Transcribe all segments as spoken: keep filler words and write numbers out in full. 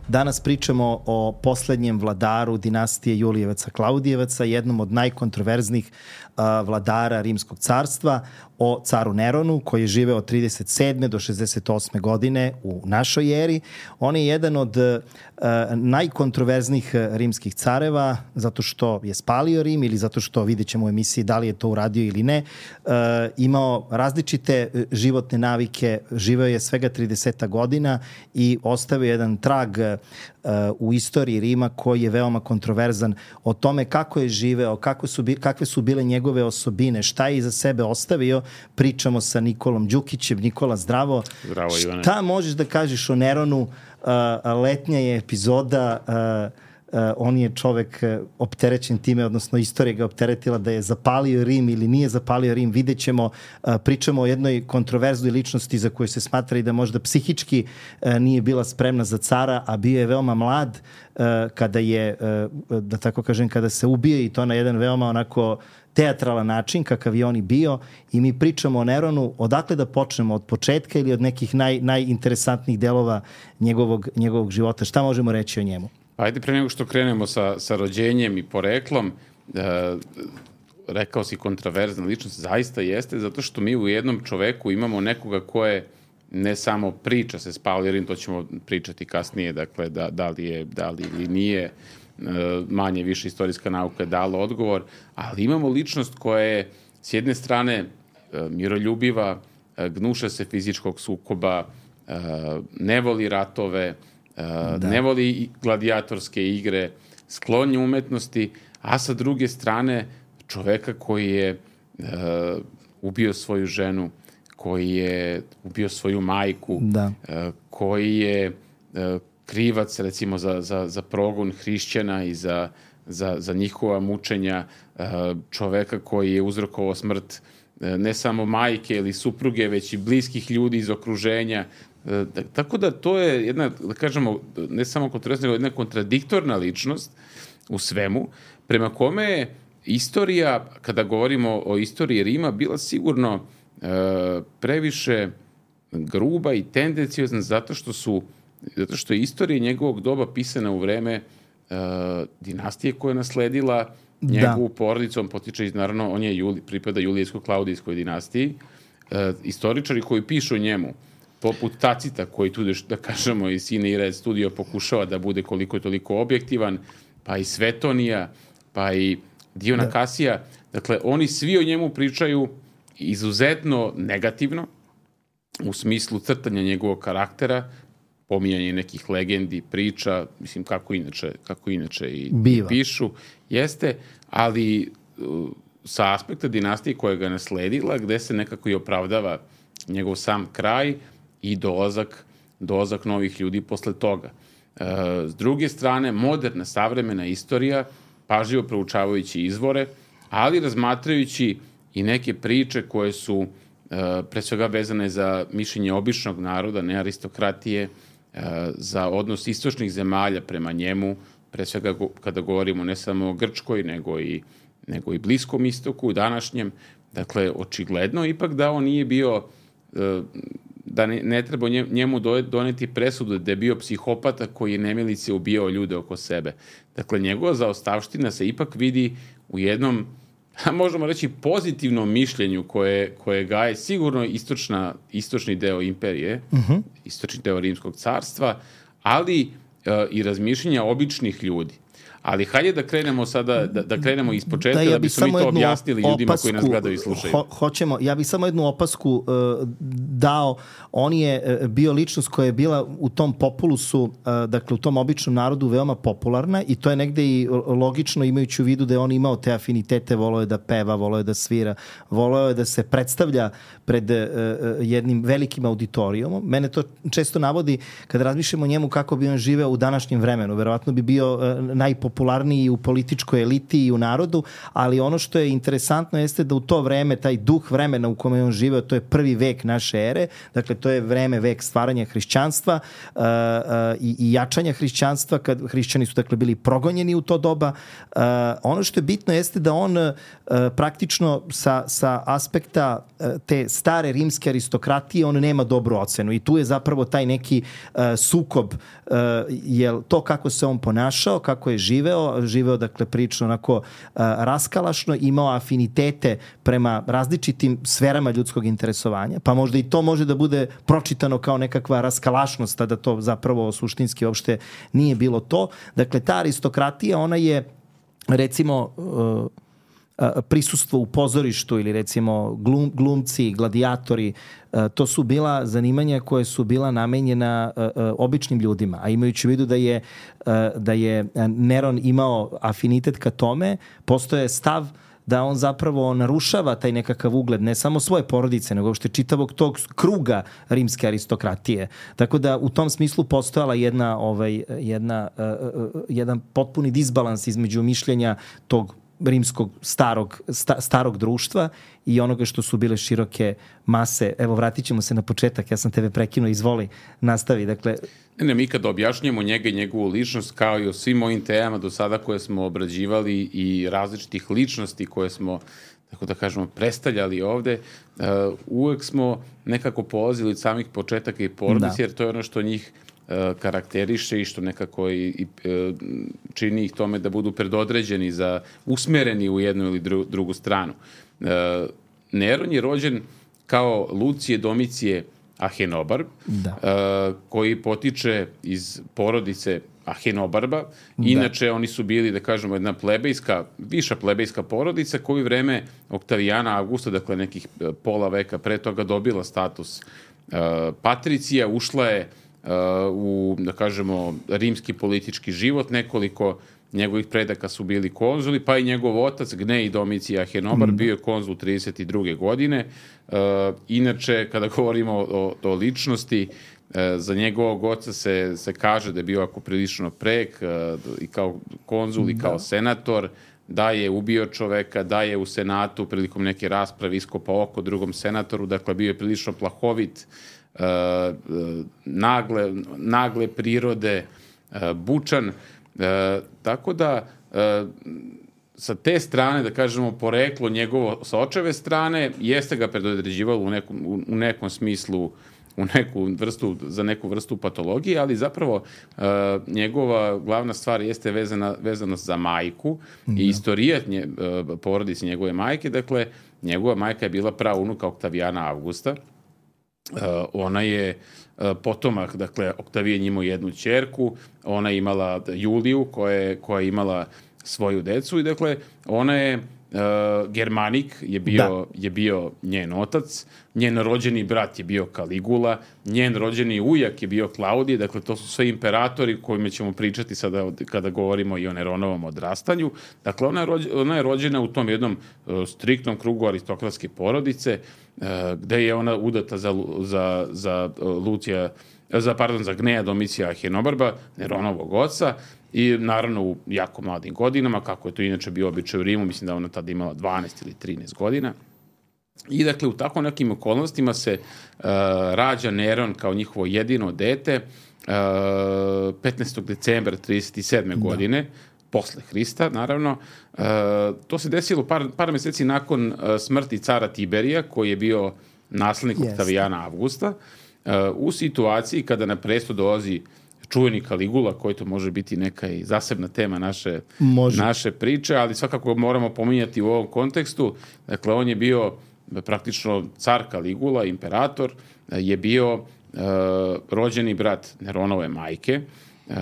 Danas pričamo o poslednjem vladaru dinastije Julijevaca-Klaudijevaca, jednom od najkontroverznih uh, vladara Rimskog carstva, o caru Neronu, koji je živeo od trideset sedme do šezdeset osme godine u našoj eri. On je jedan od uh, najkontroverznijih rimskih careva, zato što je spalio Rim ili zato što, vidjet ćemo u emisiji da li je to uradio ili ne, uh, imao različite životne navike, živeo je svega trideset godina i ostavio jedan trag uh, u istoriji Rima koji je veoma kontroverzan o tome kako je živeo, kako su, kakve su bile njegove osobine, šta je iza sebe ostavio. Pričamo sa Nikolom Đukićem. Nikola, zdravo. Zdravo, Ivane. Šta možeš da kažeš o Neronu? Uh, letnja je epizoda, uh, uh, on je čovek uh, opterećen time, odnosno istorija ga opteretila da je zapalio Rim ili nije zapalio Rim. Vidjet ćemo, uh, pričamo o jednoj kontroverznoj ličnosti za koju se smatra i da možda psihički uh, nije bila spremna za cara, a bio je veoma mlad uh, kada je, uh, da tako kažem, kada se ubije, i to na jedan veoma onako teatralan način kakav je on i bio, i mi pričamo o Neronu. Odakle da počnemo, od početka ili od nekih naj, najinteresantnijih delova njegovog, njegovog života? Šta možemo reći o njemu? Ajde, pre nego što krenemo sa, sa rođenjem i poreklom, e, rekao si kontroverzna ličnost, zaista jeste, zato što mi u jednom čoveku imamo nekoga ko je ne samo priča se spalio Rim, to ćemo pričati kasnije, dakle, da, da li je, da li ili nije, manje više istorijska nauka je dala odgovor, ali imamo ličnost koja je s jedne strane miroljubiva, gnuša se fizičkog sukoba, ne voli ratove, da. ne voli gladijatorske igre, sklon je umetnosti, a sa druge strane čoveka koji je ubio svoju ženu, koji je ubio svoju majku, da. koji je krivac, recimo, za, za, za progon hrišćana i za, za, za njihova mučenja, čoveka koji je uzrokovao smrt ne samo majke ili supruge, već i bliskih ljudi iz okruženja. Tako da to je jedna, da kažemo, ne samo kontroverzna, nego jedna kontradiktorna ličnost u svemu, prema kome je istorija, kada govorimo o istoriji Rima, bila sigurno previše gruba i tendenciozna, zato što su zato što je istorija njegovog doba pisana u vreme uh, dinastije koja je nasledila njegovu da. porodicu. On potiče iz, naravno, on je Juli, pripada Julijevsko-Klaudijskoj dinastiji. Uh, istoričari koji pišu o njemu, poput Tacita, koji tu, da kažemo, i Sine i Red studio pokušava da bude koliko je toliko objektivan, pa i Svetonija, pa i Diona da. Kasija. Dakle, oni svi o njemu pričaju izuzetno negativno, u smislu crtanja njegovog karaktera, pominjanje nekih legendi, priča, mislim, kako inače, kako inače i, i pišu, jeste, ali uh, sa aspekta dinastije koja ga nasledila, gde se nekako i opravdava njegov sam kraj i dolazak, dolazak novih ljudi posle toga. Uh, s druge strane, moderna, savremena istorija, pažljivo proučavajući izvore, ali razmatrajući i neke priče koje su uh, pre svega vezane za mišljenje običnog naroda, ne aristokratije, za odnos istočnih zemalja prema njemu, pre svega kada govorimo ne samo o Grčkoj, nego i, nego i Bliskom istoku, današnjem. Dakle, očigledno ipak da on nije bio, da ne, ne treba njemu doneti presudu da je bio psihopata koji je nemilice ubijao ljude oko sebe. Dakle, njegova zaostavština se ipak vidi u jednom, možemo reći, pozitivnom mišljenju koje, koje gaje sigurno istočna, istočni deo imperije, uh-huh. istočni deo Rimskog carstva, ali uh, i razmišljenja običnih ljudi. Ali hajde da krenemo sada, da, da krenemo iz početka, da, ja da bismo mi to objasnili opasku, ljudima koji nas gledaju i slušaju. Ho, hoćemo, ja bih samo jednu opasku uh, dao. On je uh, bio ličnost koja je bila u tom populusu, uh, dakle u tom običnom narodu veoma popularna, i to je negde i logično, imajući u vidu da je on imao te afinitete, voleo je da peva, voleo je da svira, voleo je da se predstavlja pred uh, jednim velikim auditorijumom. Mene to često navodi kada razmišljamo o njemu kako bi on živeo u današnjem vremenu. Verovatno bi bio uh, najpopularniji popularniji u političkoj eliti i u narodu, ali ono što je interesantno jeste da u to vreme, taj duh vremena u kome on živeo, to je prvi vek naše ere, dakle to je vreme, vek stvaranja hrišćanstva uh, uh, i, i jačanja hrišćanstva, kad hrišćani su dakle bili progonjeni u to doba. Uh, ono što je bitno jeste da on uh, praktično sa, sa aspekta uh, te stare rimske aristokratije on nema dobru ocenu i tu je zapravo taj neki uh, sukob, uh, jel to kako se on ponašao, kako je živeo, živeo dakle prilično onako uh, raskalašno, imao afinitete prema različitim sferama ljudskog interesovanja, pa možda i to može da bude pročitano kao nekakva raskalašnost, a da to zapravo suštinski uopšte nije bilo to. Dakle, ta aristokratija, ona je recimo uh, prisustvo u pozorištu ili recimo glum, glumci, gladijatori, to su bila zanimanja koje su bila namenjena običnim ljudima, a imajući u vidu da je, da je Neron imao afinitet ka tome, postoje stav da on zapravo narušava taj nekakav ugled ne samo svoje porodice, nego uopšte čitavog tog kruga rimske aristokratije. Tako da u tom smislu postojala jedna, ovaj, jedna, uh, jedan potpuni disbalans između mišljenja tog rimskog starog, sta, starog društva i onoga što su bile široke mase. Evo, vratit ćemo se na početak, ja sam tebe prekinuo, izvoli, nastavi. Dakle, Ne, ne, mi kad objašnjamo njega i njegovu ličnost, kao i o svim ovim temama do sada koje smo obrađivali i različitih ličnosti koje smo, tako da kažemo, predstavljali ovde, uh, uvek smo nekako polazili od samih početaka i porodice, jer to je ono što njih uh, karakteriše i što nekako i, i uh, čini ih tome da budu predodređeni, za usmereni u jednu ili dru, drugu stranu. Uh, Neron je rođen kao Lucije Domicije Ahenobarb, da. uh, koji potiče iz porodice Ahenobarba. Inače, da. Oni su bili, da kažemo, jedna plebejska, viša plebejska porodica koju vreme Oktavijana Avgusta, dakle nekih pola veka pre toga, dobila status uh, patricija, ušla je uh, u, da kažemo, rimski politički život. Nekoliko njegovih predaka su bili konzuli, pa i njegov otac Gnej Domicije Ahenobarb mm. bio je konzul trideset druge godine. Uh, inače, kada govorimo o, o ličnosti, uh, za njegovog oca se, se kaže da je bio ako prilično prek, uh, i kao konzul da. I kao senator, da je ubio čoveka, da je u senatu prilikom neke rasprave iskopao oko drugom senatoru, dakle bio je prilično plahovit, uh, uh, nagle, nagle prirode, uh, bučan. E, tako da e, sa te strane, da kažemo, poreklo njegovo sa očeve strane jeste ga predodređivalo u nekom, u, u nekom smislu, u neku vrstu, za neku vrstu patologije, ali zapravo e, njegova glavna stvar jeste vezana, vezana za majku da. I istorijat nje, e, porodice njegove majke. Dakle, njegova majka je bila praunuka Oktavijana Avgusta. Uh, ona je uh, potomak, dakle, Oktavijan imao jednu ćerku, ona je imala Juliju koja je, koja je imala svoju decu i dakle, ona je uh, Germanik je bio, je bio njen otac, njen rođeni brat je bio Kaligula, njen rođeni ujak je bio Klaudije, dakle, to su sve imperatori kojima ćemo pričati sada kada govorimo i o Neronovom odrastanju. Dakle, ona je, rođ, ona je rođena u tom jednom uh, striktnom krugu aristokratske porodice, uh, gde je ona udata za, za, za uh, Lucija, za, pardon, za Gneja Domicija Ahenobarba, Neronovog oca, i naravno u jako mladim godinama, kako je to inače bio običaj u Rimu, mislim da ona tada imala dvanaest ili trinaest godina. I dakle, u tako nekim okolnostima se uh, rađa Neron kao njihovo jedino dete uh, petnaestog decembra trideset sedme da. Godine, posle Hrista, naravno. Uh, to se desilo par, par meseci nakon uh, smrti cara Tiberija, koji je bio naslednik yes. Oktavijana Avgusta, uh, u situaciji kada na presto dolazi čuveni Kaligula, koji to može biti neka i zasebna tema naše, naše priče, ali svakako moramo pominjati u ovom kontekstu. Dakle, on je bio praktično car Kaligula, imperator, je bio uh, rođeni brat Neronove majke. Uh,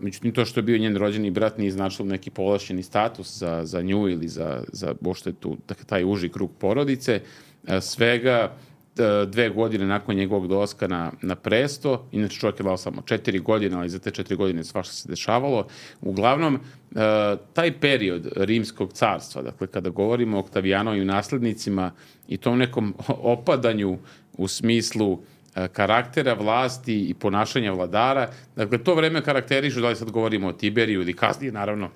međutim, to što je bio njen rođeni brat nije značilo neki povlašćeni status za, za nju ili za, za bošte tu, dakle, taj uži krug porodice. Uh, svega dve godine nakon njegovog dolaska na, na presto, inače čovjek je dao samo četiri godine, ali za te četiri godine svašta se dešavalo. Uglavnom, uh, taj period rimskog carstva, dakle, kada govorimo o Oktavijanovim naslednicima i tom nekom opadanju u smislu uh, karaktera, vlasti i ponašanja vladara. Dakle, to vreme karakterišu, da li sad govorimo o Tiberiju ili kasnije, naravno,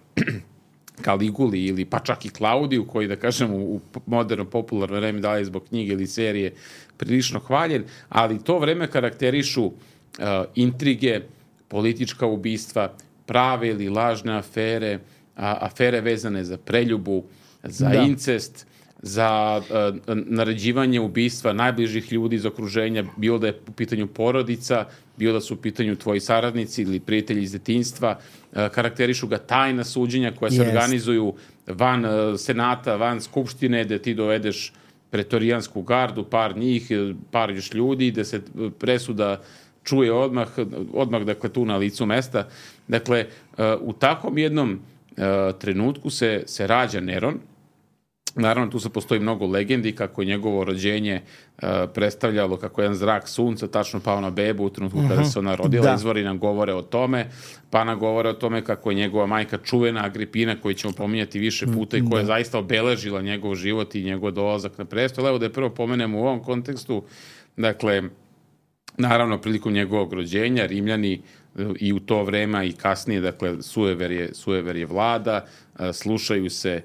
Kaliguli ili pa čak i Klaudiju, koji, da kažem, u moderno popularno vreme, da li zbog knjige ili serije, prilično hvaljen, ali to vreme karakterišu uh, intrige, politička ubistva, prave ili lažne afere, a, afere vezane za preljubu, za da. incest, za uh, naređivanje ubistva najbližih ljudi iz okruženja, bilo da je u pitanju porodica, bilo da su u pitanju tvoji saradnici ili prijatelji iz detinjstva, uh, karakterišu ga tajna suđenja koja se yes. organizuju van uh, senata, van skupštine, gde ti dovedeš pretorijansku gardu, par njih, par još ljudi, da se presuda čuje odmah, odmah dakle, tu na licu mesta. Dakle, uh, u takvom jednom uh, trenutku se, se rađa Neron. Naravno, tu se postoji mnogo legendi kako je njegovo rođenje uh, predstavljalo kako jedan zrak sunca tačno pao na bebu u trenutku uh-huh. kada se ona rodila. Da. Izvori nam govore o tome, pa nam govore o tome kako je njegova majka čuvena Agripina, koju ćemo pominjati više puta i koja je zaista obeležila njegov život i njegov dolazak na prestol. Evo da je prvo pomenemo u ovom kontekstu. Dakle, naravno, prilikom njegovog rođenja Rimljani i u to vreme i kasnije, dakle, sujever je, sujever je vlada, slušaju se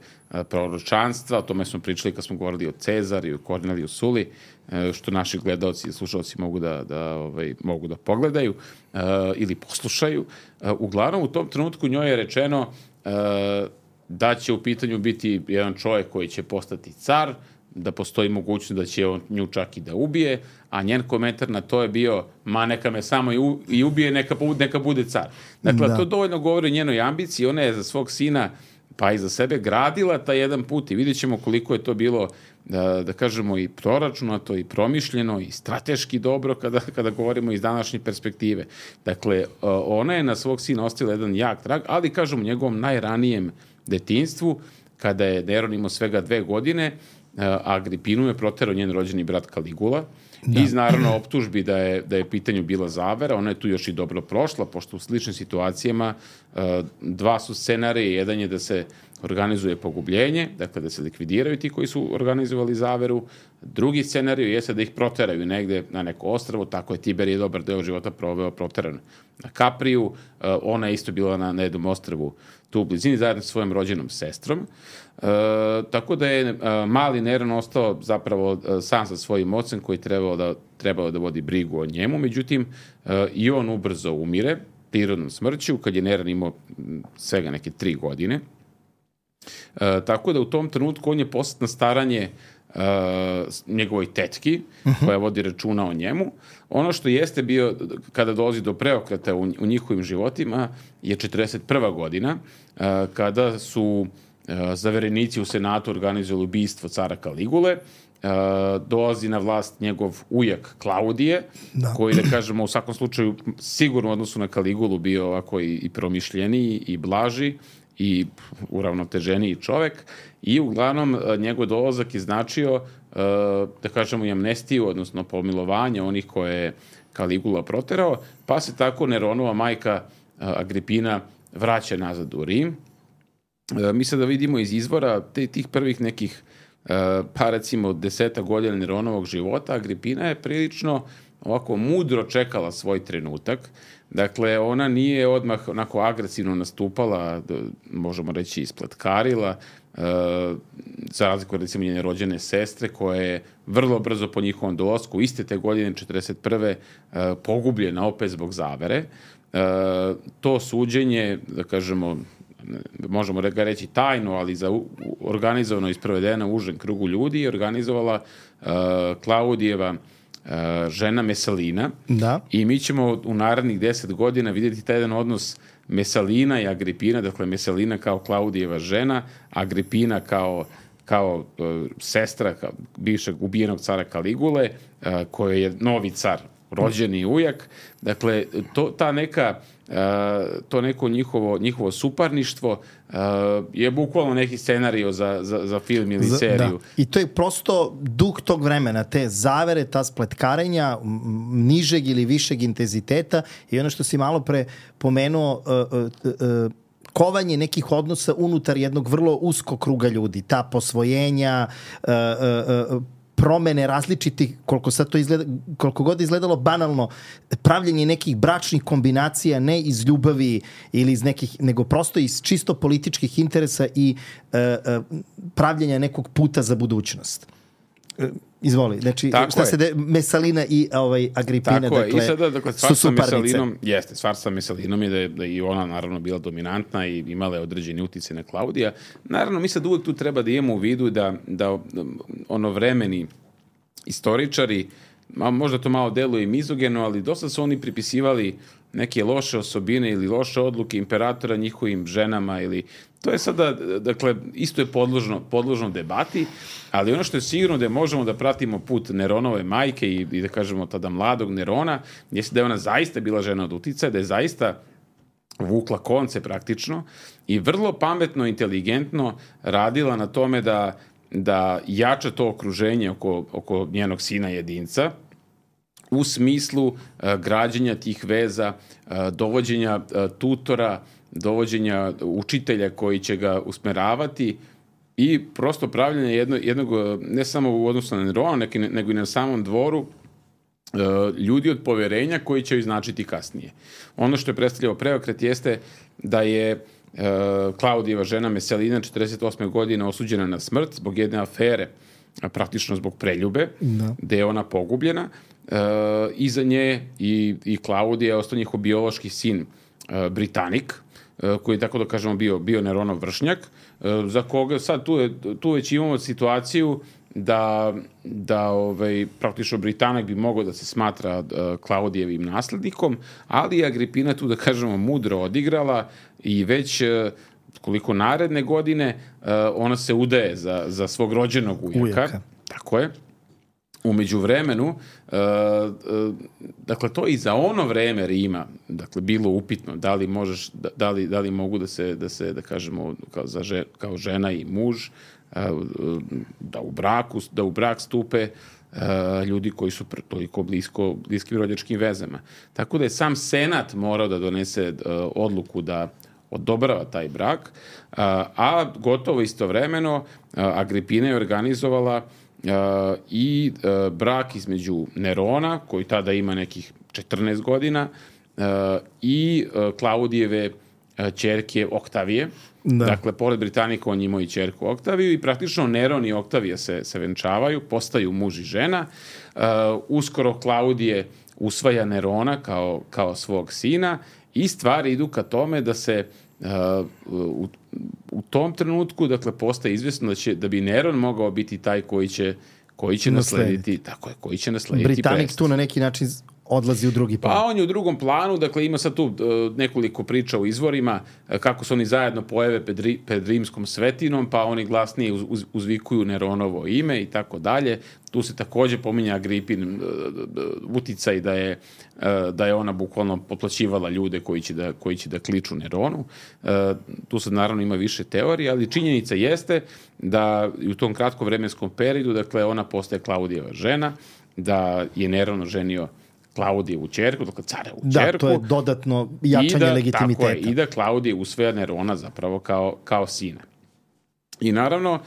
proročanstva, o tome smo pričali kad smo govorili o Cezaru i o Korneliju Suli, što naši gledalci i slušalci mogu da, da, ovaj, mogu da pogledaju uh, ili poslušaju. Uh, uglavnom, u tom trenutku njoj je rečeno uh, da će u pitanju biti jedan čovjek koji će postati car, da postoji mogućnost da će on nju čak i da ubije, a njen komentar na to je bio, ma neka me samo i, u, i ubije, neka, neka bude car. Dakle, da. To dovoljno govori o njenoj ambiciji, ona je za svog sina pa i za sebe gradila taj jedan put i vidjet ćemo koliko je to bilo, da, da kažemo, i proračunato, i promišljeno, i strateški dobro kada, kada govorimo iz današnje perspektive. Dakle, ona je na svog sina ostavila jedan jak trag, ali, kažemo, u njegovom najranijem detinjstvu, kada je Neron imao svega dve godine, Agripinu je proterao njen rođeni brat Kaligula, da. Iz naravno optužbi da je, da je pitanju bila zavera. Ona je tu još i dobro prošla, pošto u sličnim situacijama dva su scenarije. Jedan je da se organizuje pogubljenje, dakle da se likvidiraju ti koji su organizovali zaveru. Drugi scenarij jeste da ih proteraju negde na neko ostrvo, tako je Tiberije dobar deo života proveo proteran na Kapriju. Ona je isto bila na, na jednom ostrvu tu u blizini zajedno sa svojom rođenom sestrom. E, tako da je a, mali Neron ostao zapravo a, sam sa svojim ocem koji trebao da, trebao da vodi brigu o njemu. Međutim, a, i on ubrzo umire prirodnom smrću kad je Neron imao svega neke tri godine. E, tako da u tom trenutku on je poslat na staranje uh, njegovoj tetki, uh-huh. koja vodi računa o njemu. Ono što jeste bio, kada dolazi do preokreta u, u njihovim životima, je četrdeset prva godina, uh, kada su uh, zaverenici u Senatu organizovali ubistvo cara Kaligule. Uh, dolazi na vlast njegov ujak Klaudije, da. Koji, da kažemo, u svakom slučaju sigurno u odnosu na Kaligulu bio ovako i, i promišljeniji i blaži i uravnoteženiji čovek, i uglavnom njegov dolazak je značio, da kažemo, i amnestiju, odnosno pomilovanje onih koje je Kaligula proterao, pa se tako Neronova majka Agripina vraća nazad u Rim. Mi sada vidimo iz izvora te, tih prvih nekih, pa recimo deseta godina Neronovog života, Agripina je prilično ovako mudro čekala svoj trenutak. Dakle, ona nije odmah onako agresivno nastupala, možemo reći ispletkarila, e, za razliku od recimo njene rođene sestre, koja je vrlo brzo po njihovom dolasku, iste te godine, četrdeset prve E, pogubljena opet zbog zavere. E, to suđenje, da kažemo, možemo ga reći tajno, ali za organizovano i sprovedeno u užem krugu ljudi, je organizovala e, Klaudijeva žena Mesalina, da. I mi ćemo u narednih deset godina vidjeti taj jedan odnos Mesalina i Agripina, dakle Mesalina kao Klaudijeva žena, Agripina kao, kao uh, sestra kao bivšeg ubijenog cara Kaligule, uh, koji je novi car, rođeni ujak. Dakle, to, ta neka, uh, to neko njihovo, njihovo suparništvo uh, je bukvalno neki scenario za, za, za film ili za, seriju. Da. I to je prosto duh tog vremena, te zavere, ta spletkarenja nižeg ili višeg intenziteta, i ono što si malo pre pomenuo, uh, uh, uh, kovanje nekih odnosa unutar jednog vrlo uskog kruga ljudi, ta posvojenja, uh, uh, uh, promene različitih, koliko sad to izgleda, koliko god izgledalo banalno, pravljenje nekih bračnih kombinacija ne iz ljubavi ili iz nekih, nego prosto iz čisto političkih interesa i uh, uh, pravljenja nekog puta za budućnost. Izvoli, znači tako šta je. se de, Mesalina i ovaj Agripina, tako dakle, je. I sada, dakle, stvar su sa suparnice. Mesalinom, jeste, stvar sa Mesalinom je da je, da je i ona naravno bila dominantna i imala je određeni utjecaj na Klaudija. Naravno, mi sad uvek tu treba da imamo u vidu da, da ono vremeni istoričari, možda to malo deluje i mizogeno, ali dosta su oni pripisivali neke loše osobine ili loše odluke imperatora njihovim ženama ili to je sada, dakle, isto je podložno, podložno debati, ali ono što je sigurno da možemo da pratimo put Neronove majke i, i da kažemo tada mladog Nerona, jeste da je ona zaista bila žena od uticaja, da je zaista vukla konce praktično i vrlo pametno, inteligentno radila na tome da, da jača to okruženje oko, oko njenog sina jedinca, u smislu uh, građenja tih veza, uh, dovođenja uh, tutora, dovođenja učitelja koji će ga usmeravati i prosto pravljanje jedno, jednog, ne samo u odnosu na Nerona, nego i na samom dvoru, uh, ljudi od poverenja koji će joj značiti kasnije. Ono što je predstavljao preokret jeste da je uh, Klaudijeva žena Mesalina četrdeset osme godine osuđena na smrt zbog jedne afere, praktično zbog preljube, da. Gde je ona pogubljena. Uh, iza nje i, i Klaudija je ostao njihov biološki sin uh, Britanik, uh, koji je, tako da kažemo, bio, bio Neronov vršnjak, uh, za koga sad tu, je, tu već imamo situaciju da, da ovaj, praktično Britanik bi mogao da se smatra uh, Klaudijevim naslednikom, ali je Agripina tu, da kažemo, mudro odigrala i već uh, koliko naredne godine uh, ona se udaje za, za svog rođenog ujaka. ujaka. Tako je. U međuvremenu, uh, uh, dakle, to i za ono vreme Rima, dakle, bilo upitno da li možeš, da, da, li, da li mogu da se, da se, da kažemo, kao, za žen, kao žena i muž, uh, da u braku, da u brak stupe uh, ljudi koji su toliko blisko, bliskim rođačkim vezama. Tako da je sam Senat morao da donese uh, odluku da odobrava taj brak, uh, a gotovo istovremeno uh, Agripina je organizovala Uh, i uh, brak između Nerona, koji tada ima nekih četrnaest godina, uh, i uh, Klaudijeve uh, ćerke Oktavije. Da. Dakle, pored Britanika on imao i ćerku Oktaviju i praktično Neron i Oktavija se, se venčavaju, postaju muž i žena. Uh, uskoro Klaudije usvaja Nerona kao, kao svog sina i stvari idu ka tome da se Uh, u, u tom trenutku, dakle, postaje izvjesno da će, da bi Neron mogao biti taj koji će, koji će naslediti, tako je, koji će naslediti Britanik prestav. Tu na neki način odlazi u drugi plan. Pa on je u drugom planu, dakle ima sad tu uh, nekoliko priča u izvorima uh, kako se oni zajedno pojave pred, ri, pred rimskom svetinom, pa oni glasnije uz, uz, uzvikuju Neronovo ime i tako dalje. Tu se takođe pominja Agripin uh, uticaj da je, uh, da je ona bukvalno potplaćivala ljude koji će da, koji će da kliču Neronu. Uh, tu sad naravno ima više teorije, ali činjenica jeste da u tom kratkom vremenskom periodu, dakle, ona postaje Klaudijeva žena, da je Neron oženio Klaudijevu ćerku, dakle carevu ćerku. Da, to je dodatno jačanje da, legitimiteta. Tako je, i da Klaudije usvaja Nerona zapravo kao, kao sina. I naravno,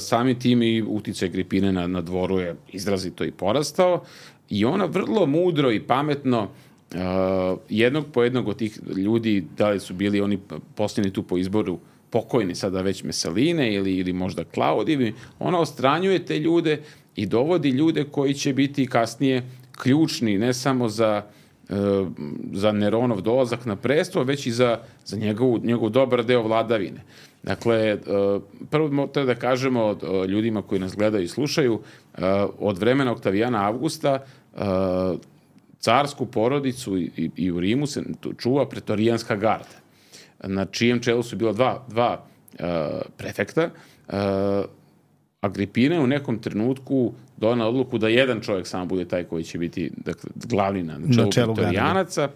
sami tim i uticaj Agripine na, na dvoru je izrazito i porastao i ona vrlo mudro i pametno uh, jednog po jednog od tih ljudi, da li su bili oni posljedni tu po izboru pokojni sada već Mesaline ili, ili možda Klaudijevi, ona ostranjuje te ljude i dovodi ljude koji će biti kasnije ključni ne samo za, uh, za Neronov dolazak na presto, već i za, za njegov, njegov dobar deo vladavine. Dakle, uh, prvo treba da kažemo uh, ljudima koji nas gledaju i slušaju, uh, od vremena Oktavijana Avgusta uh, carsku porodicu i, i, i u Rimu se čuva pretorijanska garda, na čijem čelu su bila dva, dva uh, prefekta. Uh, Agripina je u nekom trenutku donela odluku da jedan čovjek samo bude taj koji će biti, dakle, glavni na čelu, na čelu pretorijanaca.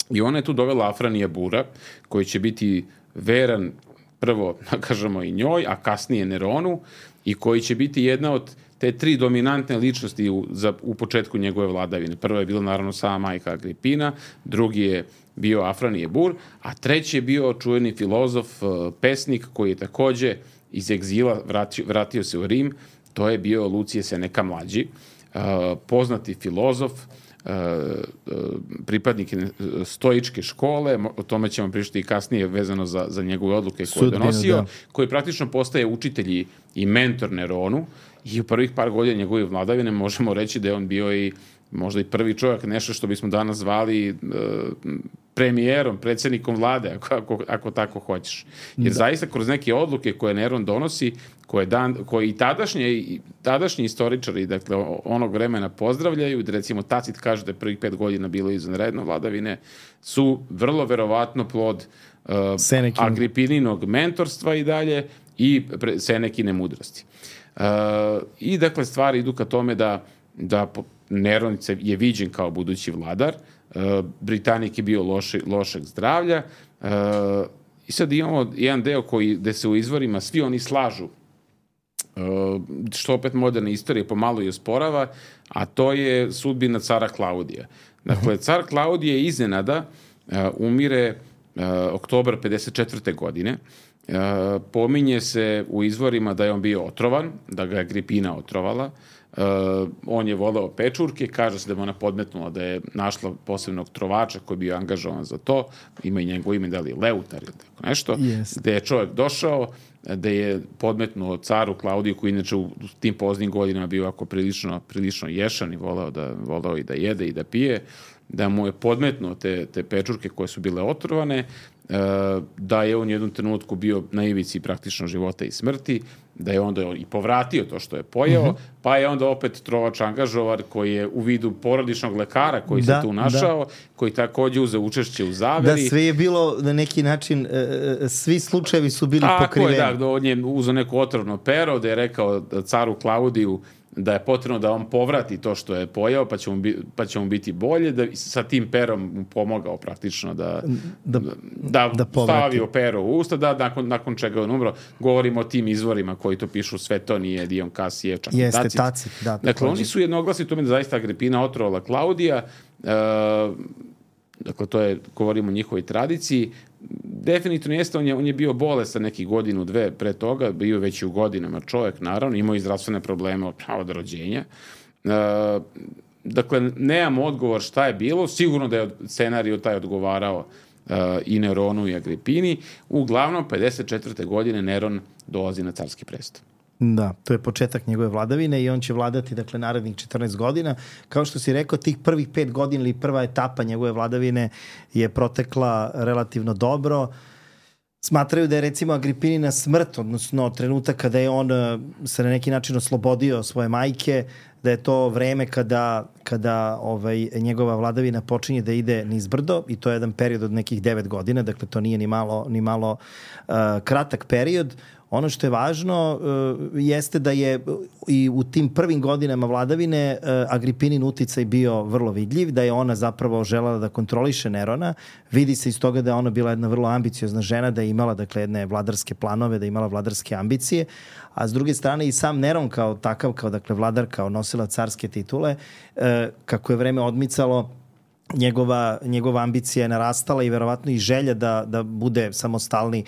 I ona je tu dovela Afranija Bura, koji će biti veran prvo, da kažemo, i njoj, a kasnije Neronu, i koji će biti jedna od te tri dominantne ličnosti u, za, u početku njegove vladavine. Prva je bila naravno sama majka Agripina, drugi je bio Afranije Bur, a treći je bio čuveni filozof, pesnik, koji je takođe iz egzila vratio, vratio se u Rim to je bio Lucije Seneca mlađi, poznati filozof, pripadnik stoičke škole, o tome ćemo pričati i kasnije vezano za, za njegove odluke koje je donosio, da. Koji praktično postaje učitelj i mentor Neronu i u prvih par godina njegove vladavine možemo reći da je on bio i možda i prvi čovjek, nešto što bismo danas zvali uh, premijerom, predsjednikom vlade, ako, ako, ako tako hoćeš. Jer da. Zaista kroz neke odluke koje Neron donosi, koje, dan, koje i tadašnje, i tadašnji istoričari, dakle, onog vremena pozdravljaju, da recimo Tacit kaže da je prvih pet godina bilo izvanredno vladavine, su vrlo verovatno plod uh, Agripininog mentorstva i dalje i pre, Senekine mudrosti. Uh, I dakle, stvari idu ka tome da, da Neron je viđen kao budući vladar, Britanik je bio loše, lošeg zdravlja i sad imamo jedan deo koji, gde se u izvorima svi oni slažu, što opet moderne istorije pomalo i osporava, a to je sudbina cara Klaudija. Dakle, car Klaudije iznenada umire oktobar pedeset četvrte godine. Pominje se u izvorima da je on bio otrovan, da ga je Agripina otrovala. Uh, on je voleo pečurke, kaže se da mu ona podmetnula da je našla posebnog trovača koji je bio angažovan za to, ima i njegovo ime, da li Leutar ili tako nešto, yes. Gde je čovjek došao, da je podmetnuo caru Klaudiju, koji inače u tim poznim godinama bio ako prilično, prilično ješan i voleo, da, voleo i da jede i da pije, da mu je podmetnuo te, te pečurke koje su bile otrovane, da je on u jednom trenutku bio na ivici praktično života i smrti, da je onda i povratio to što je pojeo, mm-hmm. pa je onda opet trovač angažovar koji je u vidu porodičnog lekara koji da, se tu našao, da. Koji takođe uze učešće u zaveri. Da, sve je bilo na neki način, svi slučajevi su bili Tako pokriveni. Tako je, da, on je uzeo neko otrovno pero, da je rekao caru Klaudiju da je potrebno da on povrati to što je pojao, pa će mu, bi, pa će mu biti bolje, da sa tim perom mu pomogao praktično da, da, da, da stavio pero u usta, da nakon, nakon čega on umro. Govorimo o tim izvorima koji to pišu, sve to nije Dion Kasijev, čak Jeste, Tacit. Tacit, da. Dakle, oni su jednoglasni tome da zaista Agripina otrovala Klaudija, uh, dakle, to je, govorimo o njihovoj tradiciji. Definitivno jeste, on je, on je bio bolestan nekih godinu, dve pre toga, bio već i u godinama čovjek, naravno, imao i zdravstvene probleme od, od rođenja. E, dakle, nemamo odgovor šta je bilo, sigurno da je scenarij taj odgovarao e, i Neronu i Agripini. Uglavnom, pedeset četvrte godine Neron dolazi na carski presto. Da, to je početak njegove vladavine i on će vladati, dakle, narednih četrnaest godina. Kao što si rekao, tih prvih pet godina ili prva etapa njegove vladavine je protekla relativno dobro. Smatraju da je, recimo, Agripinina smrt, odnosno trenutak kada je on se na neki način oslobodio svoje majke, da je to vreme kada, kada ovaj, njegova vladavina počinje da ide nizbrdo i to je jedan period od nekih devet godina, dakle to nije ni malo, ni malo uh, kratak period. Ono što je važno uh, jeste da je i u tim prvim godinama vladavine uh, Agripinin uticaj bio vrlo vidljiv, da je ona zapravo želela da kontroliše Nerona. Vidi se iz toga da je ona bila jedna vrlo ambiciozna žena, da je imala, dakle, jedne vladarske planove, da je imala vladarske ambicije, a s druge strane i sam Neron kao takav, kao, dakle, vladar, kao nosila carske titule, uh, kako je vreme odmicalo, njegova, njegova ambicija je narastala i verovatno i želja da, da bude samostalni.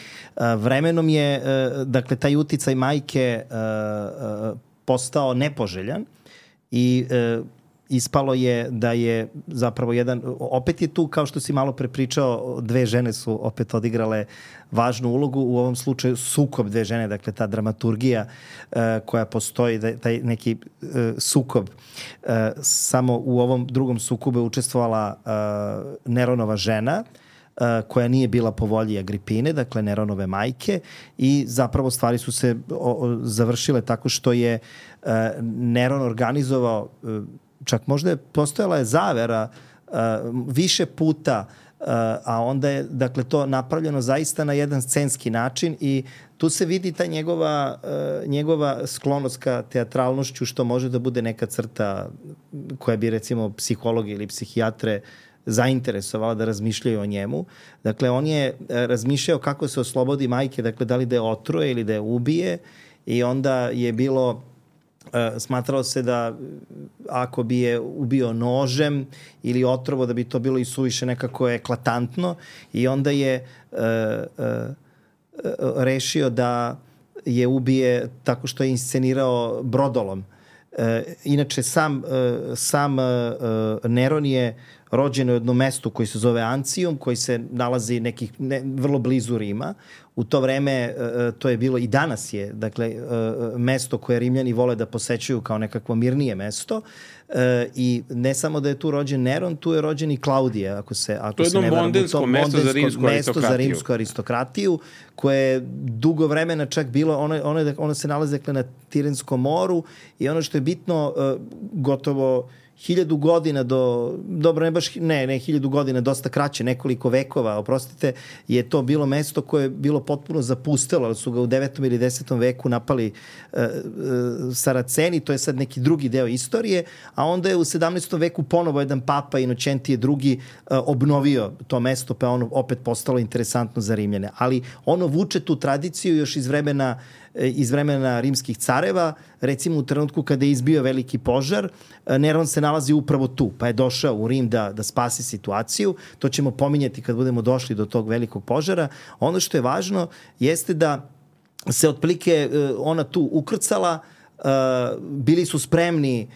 Vremenom je, dakle, taj uticaj majke postao nepoželjan i ispalo je da je zapravo jedan, opet je tu, kao što si malo pre pričao, dve žene su opet odigrale važnu ulogu, u ovom slučaju sukob dve žene, dakle ta dramaturgija uh, koja postoji, da, taj neki uh, sukob. Uh, samo u ovom drugom sukobu je učestvovala uh, Neronova žena, uh, koja nije bila po volji Agripine, dakle Neronove majke, i zapravo stvari su se o, o, završile tako što je uh, Neron organizovao, uh, čak možda je postojala je zavera uh, više puta, uh, a onda je, dakle, to napravljeno zaista na jedan scenski način i tu se vidi ta njegova, uh, njegova sklonost ka teatralnošću, što može da bude neka crta koja bi, recimo, psihologi ili psihijatre zainteresovala da razmišljaju o njemu. Dakle, on je razmišljao kako se oslobodi majke, dakle, da li da je otruje ili da je ubije, i onda je bilo Uh, smatralo se da ako bi je ubio nožem ili otrovo, da bi to bilo i suviše nekako eklatantno, i onda je uh, uh, rešio da je ubije tako što je inscenirao brodolom. E, inače, sam, e, sam e, Neron je rođen u jednom mestu koji se zove Ancijum, koji se nalazi nekih ne, vrlo blizu Rima. U to vreme e, to je bilo i danas je, dakle, e, mesto koje Rimljani vole da posećuju kao nekakvo mirnije mesto. E, I ne samo da je tu rođen Neron, tu je rođen i Klaudije, ako se, ako to je se ne jedno varam. mondensko to mesto za rimsku mesto aristokratiju. za rimsku aristokratiju, koje je dugo vremena čak bilo, ono, ono, ono se nalazi dakle, na Tirenskom moru i ono što je bitno, e, gotovo hiljadu godina do, dobro ne baš, ne, ne hiljadu godina, dosta kraće, nekoliko vekova, oprostite, je to bilo mesto koje je bilo potpuno zapustelo, ali su ga u devetom ili desetom veku napali uh, uh, Saraceni, to je sad neki drugi deo istorije, a onda je u sedamnaestom veku ponovo jedan papa Inocentije drugi uh, obnovio to mesto, pa ono opet postalo interesantno za Rimljane. Ali ono vuče tu tradiciju još iz vremena iz vremena rimskih careva, recimo u trenutku kada je izbio veliki požar, Neron se nalazi upravo tu, pa je došao u Rim da, da spasi situaciju. To ćemo pominjati kad budemo došli do tog velikog požara. Ono što je važno jeste da se otprilike ona tu ukrcala, bili su spremni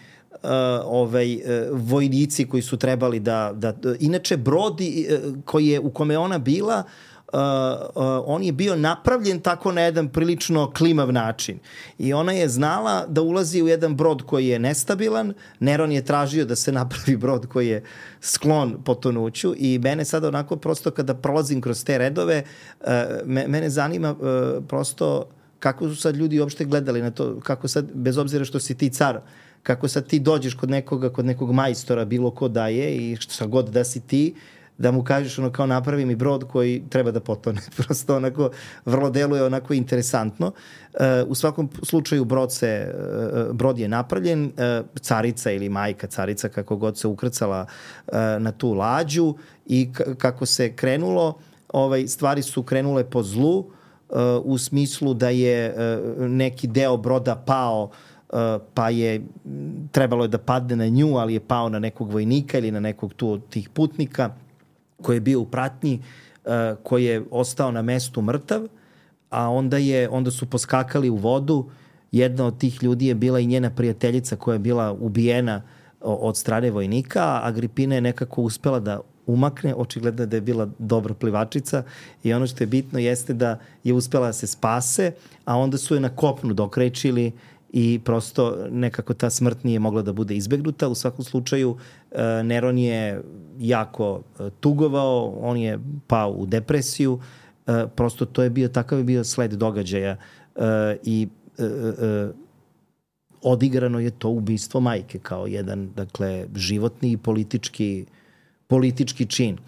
Uh, ovaj, uh, vojnici koji su trebali da, da... Inače, brod uh, koji je, u kome ona bila, Uh, uh, on je bio napravljen tako na jedan prilično klimav način. I ona je znala da ulazi u jedan brod koji je nestabilan. Neron je tražio da se napravi brod koji je sklon potonuću i mene sad onako prosto kada prolazim kroz te redove, uh, me, mene zanima uh, prosto kako su sad ljudi uopšte gledali na to, kako sad, bez obzira što si ti car, kako sad ti dođeš kod nekoga, kod nekog majstora, bilo ko da je i šta god da si ti, da mu kažeš ono kao napravi mi brod koji treba da potone. Prosto onako vrlo deluje onako interesantno. Uh, u svakom slučaju brod, se, uh, brod je napravljen, uh, carica ili majka carica kako god se ukrcala uh, na tu lađu i k- kako se krenulo, ovaj, stvari su krenule po zlu uh, u smislu da je uh, neki deo broda pao, Uh, pa je trebalo je da padne na nju, ali je pao na nekog vojnika ili na nekog tu od tih putnika koji je bio u pratnji, uh, koji je ostao na mestu mrtav, a onda, je, onda su poskakali u vodu. Jedna od tih ljudi je bila i njena prijateljica koja je bila ubijena od strane vojnika, a Agripina je nekako uspela da umakne, očigledno da je bila dobra plivačica i ono što je bitno jeste da je uspela da se spase, a onda su je na kopnu dokrečili i prosto nekako ta smrt nije mogla da bude izbegnuta. U svakom slučaju Neron je jako tugovao, on je pao u depresiju, prosto to je bio, takav je bio sled događaja i odigrano je to ubistvo majke kao jedan, dakle, životni i politički, politički čin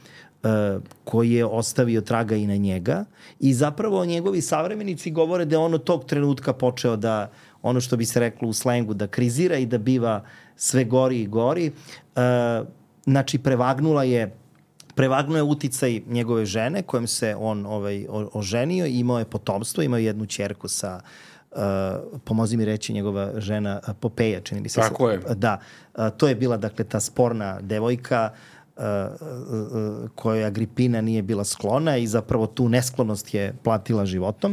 koji je ostavio traga i na njega i zapravo njegovi savremenici govore da je on od tog trenutka počeo da ono što bi se reklo u slengu, da krizira i da biva sve gori i gori. E, znači, prevagnula je, prevagnuo je uticaj njegove žene, kojom se on ovaj, oženio i imao je potomstvo, imao je jednu ćerku sa, uh, pomozi mi reći, njegova žena Popeja, čini mi se. Tako je. Da, uh, to je bila, dakle, ta sporna devojka uh, uh, kojoj Agripina nije bila sklona i zapravo tu nesklonost je platila životom.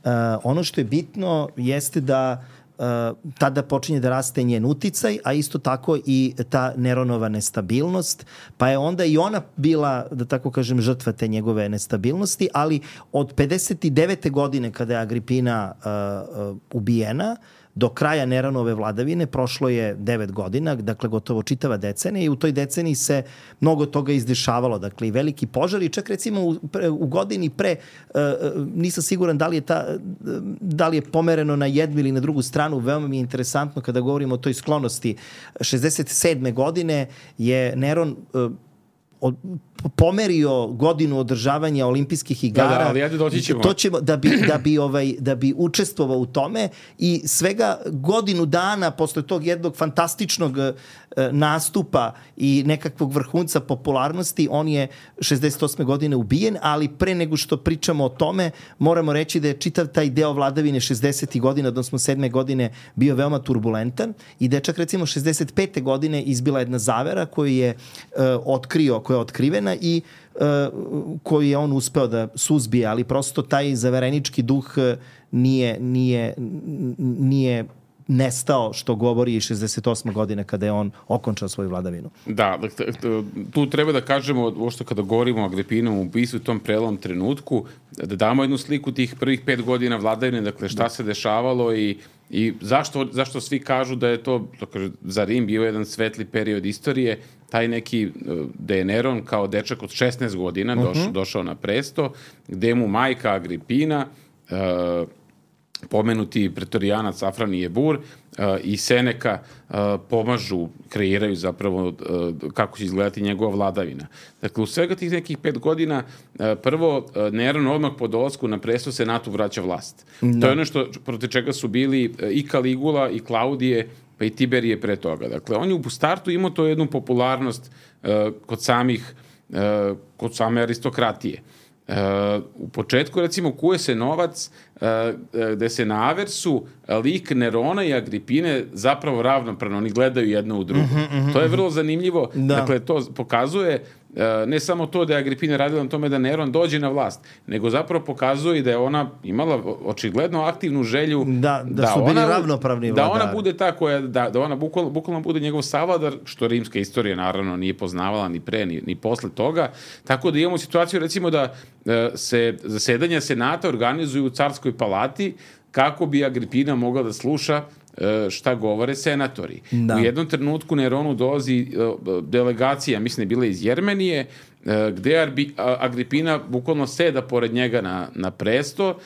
Uh, ono što je bitno jeste da uh, tada počinje da raste njen uticaj, a isto tako i ta Neronova nestabilnost, pa je onda i ona bila, da tako kažem, žrtva te njegove nestabilnosti, ali od pedeset devete godine kada je Agripina uh, uh, ubijena, do kraja Neronove vladavine prošlo je devet godina, dakle gotovo čitava decenija i u toj deceniji se mnogo toga izdešavalo, dakle i veliki požar i čak recimo u, pre, u godini pre, uh, nisam siguran da li je ta, da li je pomereno na jednu ili na drugu stranu, veoma mi je interesantno kada govorimo o toj sklonosti. šezdeset sedme godine je Neron uh, od, pomerio godinu održavanja olimpijskih igara. Da, da, ali ajde doći ćemo. To ćemo da bi, da bi, ovaj, da bi učestvovao u tome i svega godinu dana posle tog jednog fantastičnog e, nastupa i nekakvog vrhunca popularnosti, on je šezdeset osme godine ubijen, ali pre nego što pričamo o tome, moramo reći da je čitav taj deo vladavine šezdesetih godina, odnosno sedme godine, bio veoma turbulentan i da je čak recimo šezdeset pete godine izbila jedna zavera koju je e, otkrio, koja je otkrivena godina i uh, koju je on uspeo da suzbije, ali prosto taj zaverenički duh nije, nije, nije nestao, što govori i šezdeset osme godine kada je on okončao svoju vladavinu. Da, tu treba da kažemo, uopšte kada govorimo o Agripinovom ubistvu u tom prelom trenutku, da damo jednu sliku tih prvih pet godina vladavine, dakle šta se dešavalo i, i zašto, zašto svi kažu da je to, dakle, za Rim bio jedan svetli period istorije, taj neki, da je Neron kao dečak od šesnaest godina došao, uh-huh. došao na presto, gde mu majka Agripina, uh, pomenuti pretorijanac Afranije Bur uh, i Seneka uh, pomažu, kreiraju zapravo uh, kako će izgledati njegova vladavina. Dakle, u svega tih nekih pet godina uh, prvo uh, Neron odmah po dolasku na presto Senatu vraća vlast. Da. To je ono što, protiv čega su bili uh, i Kaligula i Klaudije pa i Tiberije pre toga. Dakle, on je u startu imao to jednu popularnost uh, kod samih, uh, kod same aristokratije. Uh, u početku, recimo, kuje se novac uh, gde se na aversu lik Nerona i Agripine zapravo ravnopravno, oni gledaju jedno u drugo. Uh-huh, uh-huh. To je vrlo zanimljivo. Da. Dakle, to pokazuje uh, ne samo to da je Agripina radila na tome da Neron dođe na vlast, nego zapravo pokazuje da je ona imala očigledno aktivnu želju da, da, da su bili ona, ravnopravni da vladari. ona bude ta koja, da, da ona bukvalno, bukvalno bude njegov savladar, što rimska istorija naravno nije poznavala ni pre, ni, ni posle toga. Tako da imamo situaciju, recimo, da se zasedanja senata organizuju u carskoj palati kako bi Agripina mogla da sluša šta govore senatori. Da. U jednom trenutku Neronu dolazi delegacija, mislim je bila iz Jermenije, gde Agripina bukvalno seda pored njega na, na presto,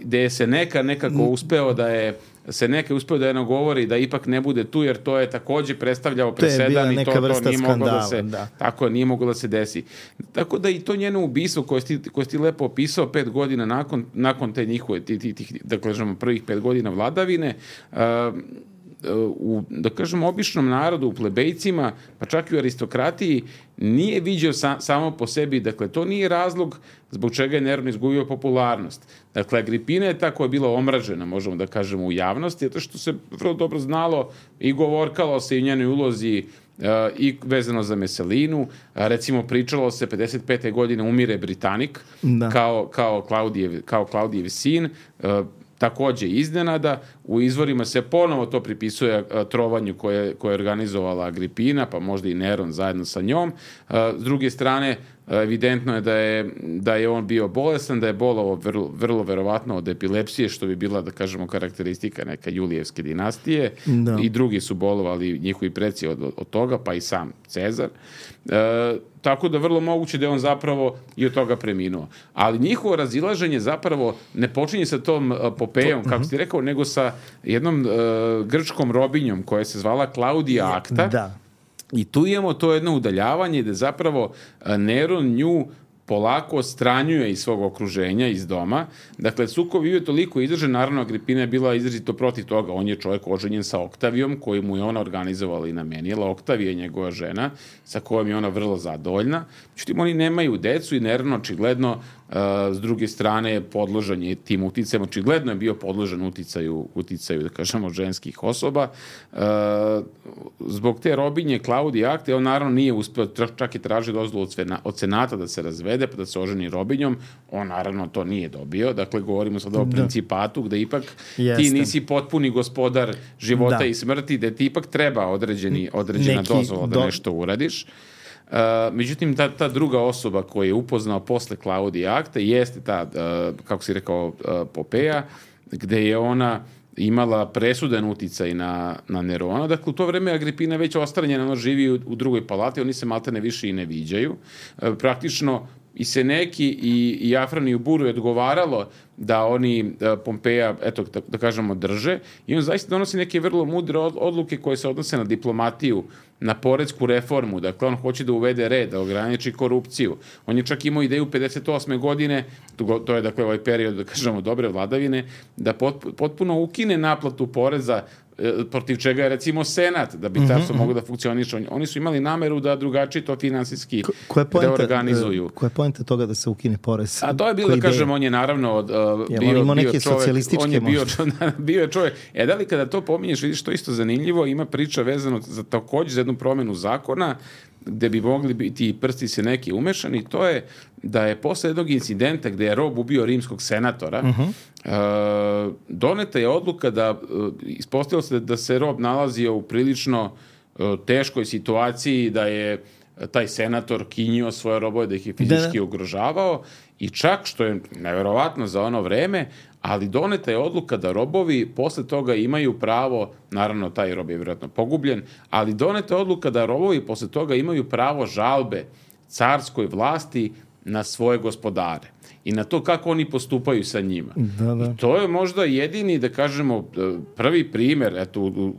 gde se neka nekako uspeo da je se neka uspeo da je nagovori da ipak ne bude tu, jer to je takođe predstavljao presedan i to, to nije moglo da se da. Tako nije moglo da se desi. Tako da i to njeno ubistvo koje si, koje si lepo opisao pet godina nakon, nakon te njihove tih, tih, tih, da kažemo, prvih pet godina vladavine, uh, u, da kažemo, običnom narodu, u plebejcima, pa čak i u aristokratiji, nije viđao sa, samo po sebi, dakle, to nije razlog zbog čega je Neron izgubio popularnost. Dakle, Agripina je ta koja je bila omražena, možemo da kažemo, u javnosti, zato što se vrlo dobro znalo i govorkalo se i u njenoj ulozi uh, i vezano za Meselinu. Uh, recimo, pričalo se pedeset pete godine umire Britanik, da. kao, kao, Klaudijev, kao Klaudijev sin, uh, takođe iznenada. U izvorima se ponovo to pripisuje trovanju koje, koje je organizovala Agripina, pa možda i Neron zajedno sa njom. S druge strane, evidentno je da je, da je on bio bolestan, da je bolovao vrlo, vrlo verovatno od epilepsije, što bi bila, da kažemo, karakteristika neka Julijevske dinastije. Da. I drugi su bolovali, njihovi preci od, od toga, pa i sam Cezar. E, tako da vrlo moguće da je on zapravo i od toga preminuo. Ali njihovo razilaženje zapravo ne počinje sa tom Popejom, kako si rekao, nego sa jednom uh, grčkom robinjom koja se zvala Klaudija Akta. Da. I tu imamo to jedno udaljavanje gde zapravo Neron nju polako odstranjuje iz svog okruženja, iz doma. Dakle, sukob je toliko izdržan, naravno Agripina je bila izrazito protiv toga. On je čovjek oženjen sa Oktavijom, koju mu je ona organizovala i namenila. Oktavija je njegova žena, sa kojom je ona vrlo zadovoljna. Međutim, oni nemaju decu i Neron očigledno, uh, s druge strane, podložan je tim uticajem. Očigledno je bio podložan uticaju, uticaju, da kažemo, ženskih osoba. Uh, zbog te robinje Klaudije Akte, on naravno nije uspeo, čak i tražio dozvolu od senata da se razvede, pa da se oženi robinjom. On naravno to nije dobio. Dakle, govorimo sada o principatu, gde ipak Jeste. ti nisi potpuni gospodar života da. i smrti, gde ti ipak treba određeni, određena Neki dozvola da do... nešto uradiš. Uh, međutim, ta, ta druga osoba koju je upoznao posle Klaudije Akte jeste ta, uh, kako si rekao, uh, Popeja, gde je ona imala presudan uticaj na, na Nerona. Dakle, u to vreme Agripina već ostranjena, ona živi u, u drugoj palati, oni se maltene više i ne viđaju. Uh, praktično i Seneki i, i Afraniju Buru je odgovaralo da oni da Pompeja, eto, da, da kažemo, drže. I on zaista donosi neke vrlo mudre odluke koje se odnose na diplomatiju, na poresku reformu. Dakle, on hoće da uvede red, da ograniči korupciju. On je čak imao ideju pedeset osme godine, to je, dakle, ovaj period, da kažemo, dobre vladavine, da potpuno ukine naplatu poreza, protiv čega je, recimo, Senat, da bi mm-hmm. carstvo moglo da funkcioniše. Oni su imali nameru da drugačije to finansijski reorganizuju. Koja je poenta toga da se ukine porez? A to je bilo, da kažem, on je naravno od, uh, bio, on ima bio neke čovjek, socijalističke on je bio, bio je čovjek. E, da li kada to pominješ, vidiš, to isto zanimljivo, ima priča vezano za takođe za jednu promenu zakona, gde bi mogli biti prsti se neki umešani, to je da je posle jednog incidenta gde je rob ubio rimskog senatora, uh-huh. uh, doneta je odluka da uh, ispostavilo se da se rob nalazio u prilično uh, teškoj situaciji, da je taj senator kinjio svoje robove, da ih je fizički da. ugrožavao i čak, što je neverovatno za ono vreme, ali doneta je odluka da robovi posle toga imaju pravo, naravno taj rob je vjerojatno pogubljen, ali doneta je odluka da robovi posle toga imaju pravo žalbe carskoj vlasti na svoje gospodare i na to kako oni postupaju sa njima. Da, da. I to je možda jedini, da kažemo, prvi primer, eto, u, u,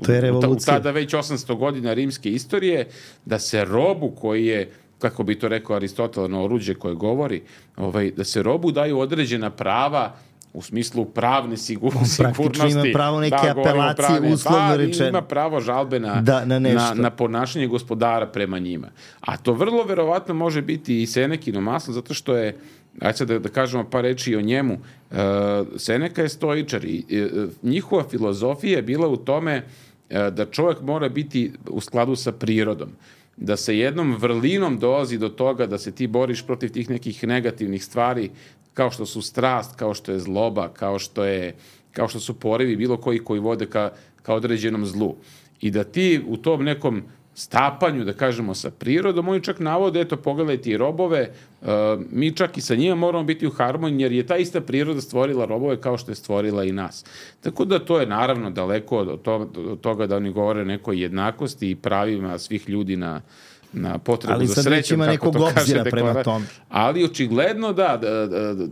u tada već osamsto godina rimske istorije, da se robu koji je, kako bi to rekao Aristotel, na oruđe koje govori, ovaj, da se robu daju određena prava u smislu pravne sigur, sigurnosti. Praktično ima pravo neke da, apelacije, pravne, uslovno rečeno. Ima pravo žalbe na, da, na, na, na ponašanje gospodara prema njima. A to vrlo verovatno može biti i Senekino maslo, zato što je, ajde sad da, da kažemo par reči o njemu, uh, Seneka je stoičar i uh, njihova filozofija je bila u tome uh, da čovjek mora biti u skladu sa prirodom. Da se jednom vrlinom dolazi do toga da se ti boriš protiv tih nekih negativnih stvari, kao što su strast, kao što je zloba, kao što je, kao što su porivi bilo koji koji vode ka, ka određenom zlu. I da ti u tom nekom stapanju, da kažemo, sa prirodom, oni čak navode, eto, pogledaj ti robove, uh, mi čak i sa njima moramo biti u harmoniji, jer je ta ista priroda stvorila robove kao što je stvorila i nas. Tako da to je naravno daleko od, to, od toga da oni govore nekoj jednakosti i pravima svih ljudi na na potrebu ali za srećom, ima nekog obzira prema tome. Ali očigledno da, da,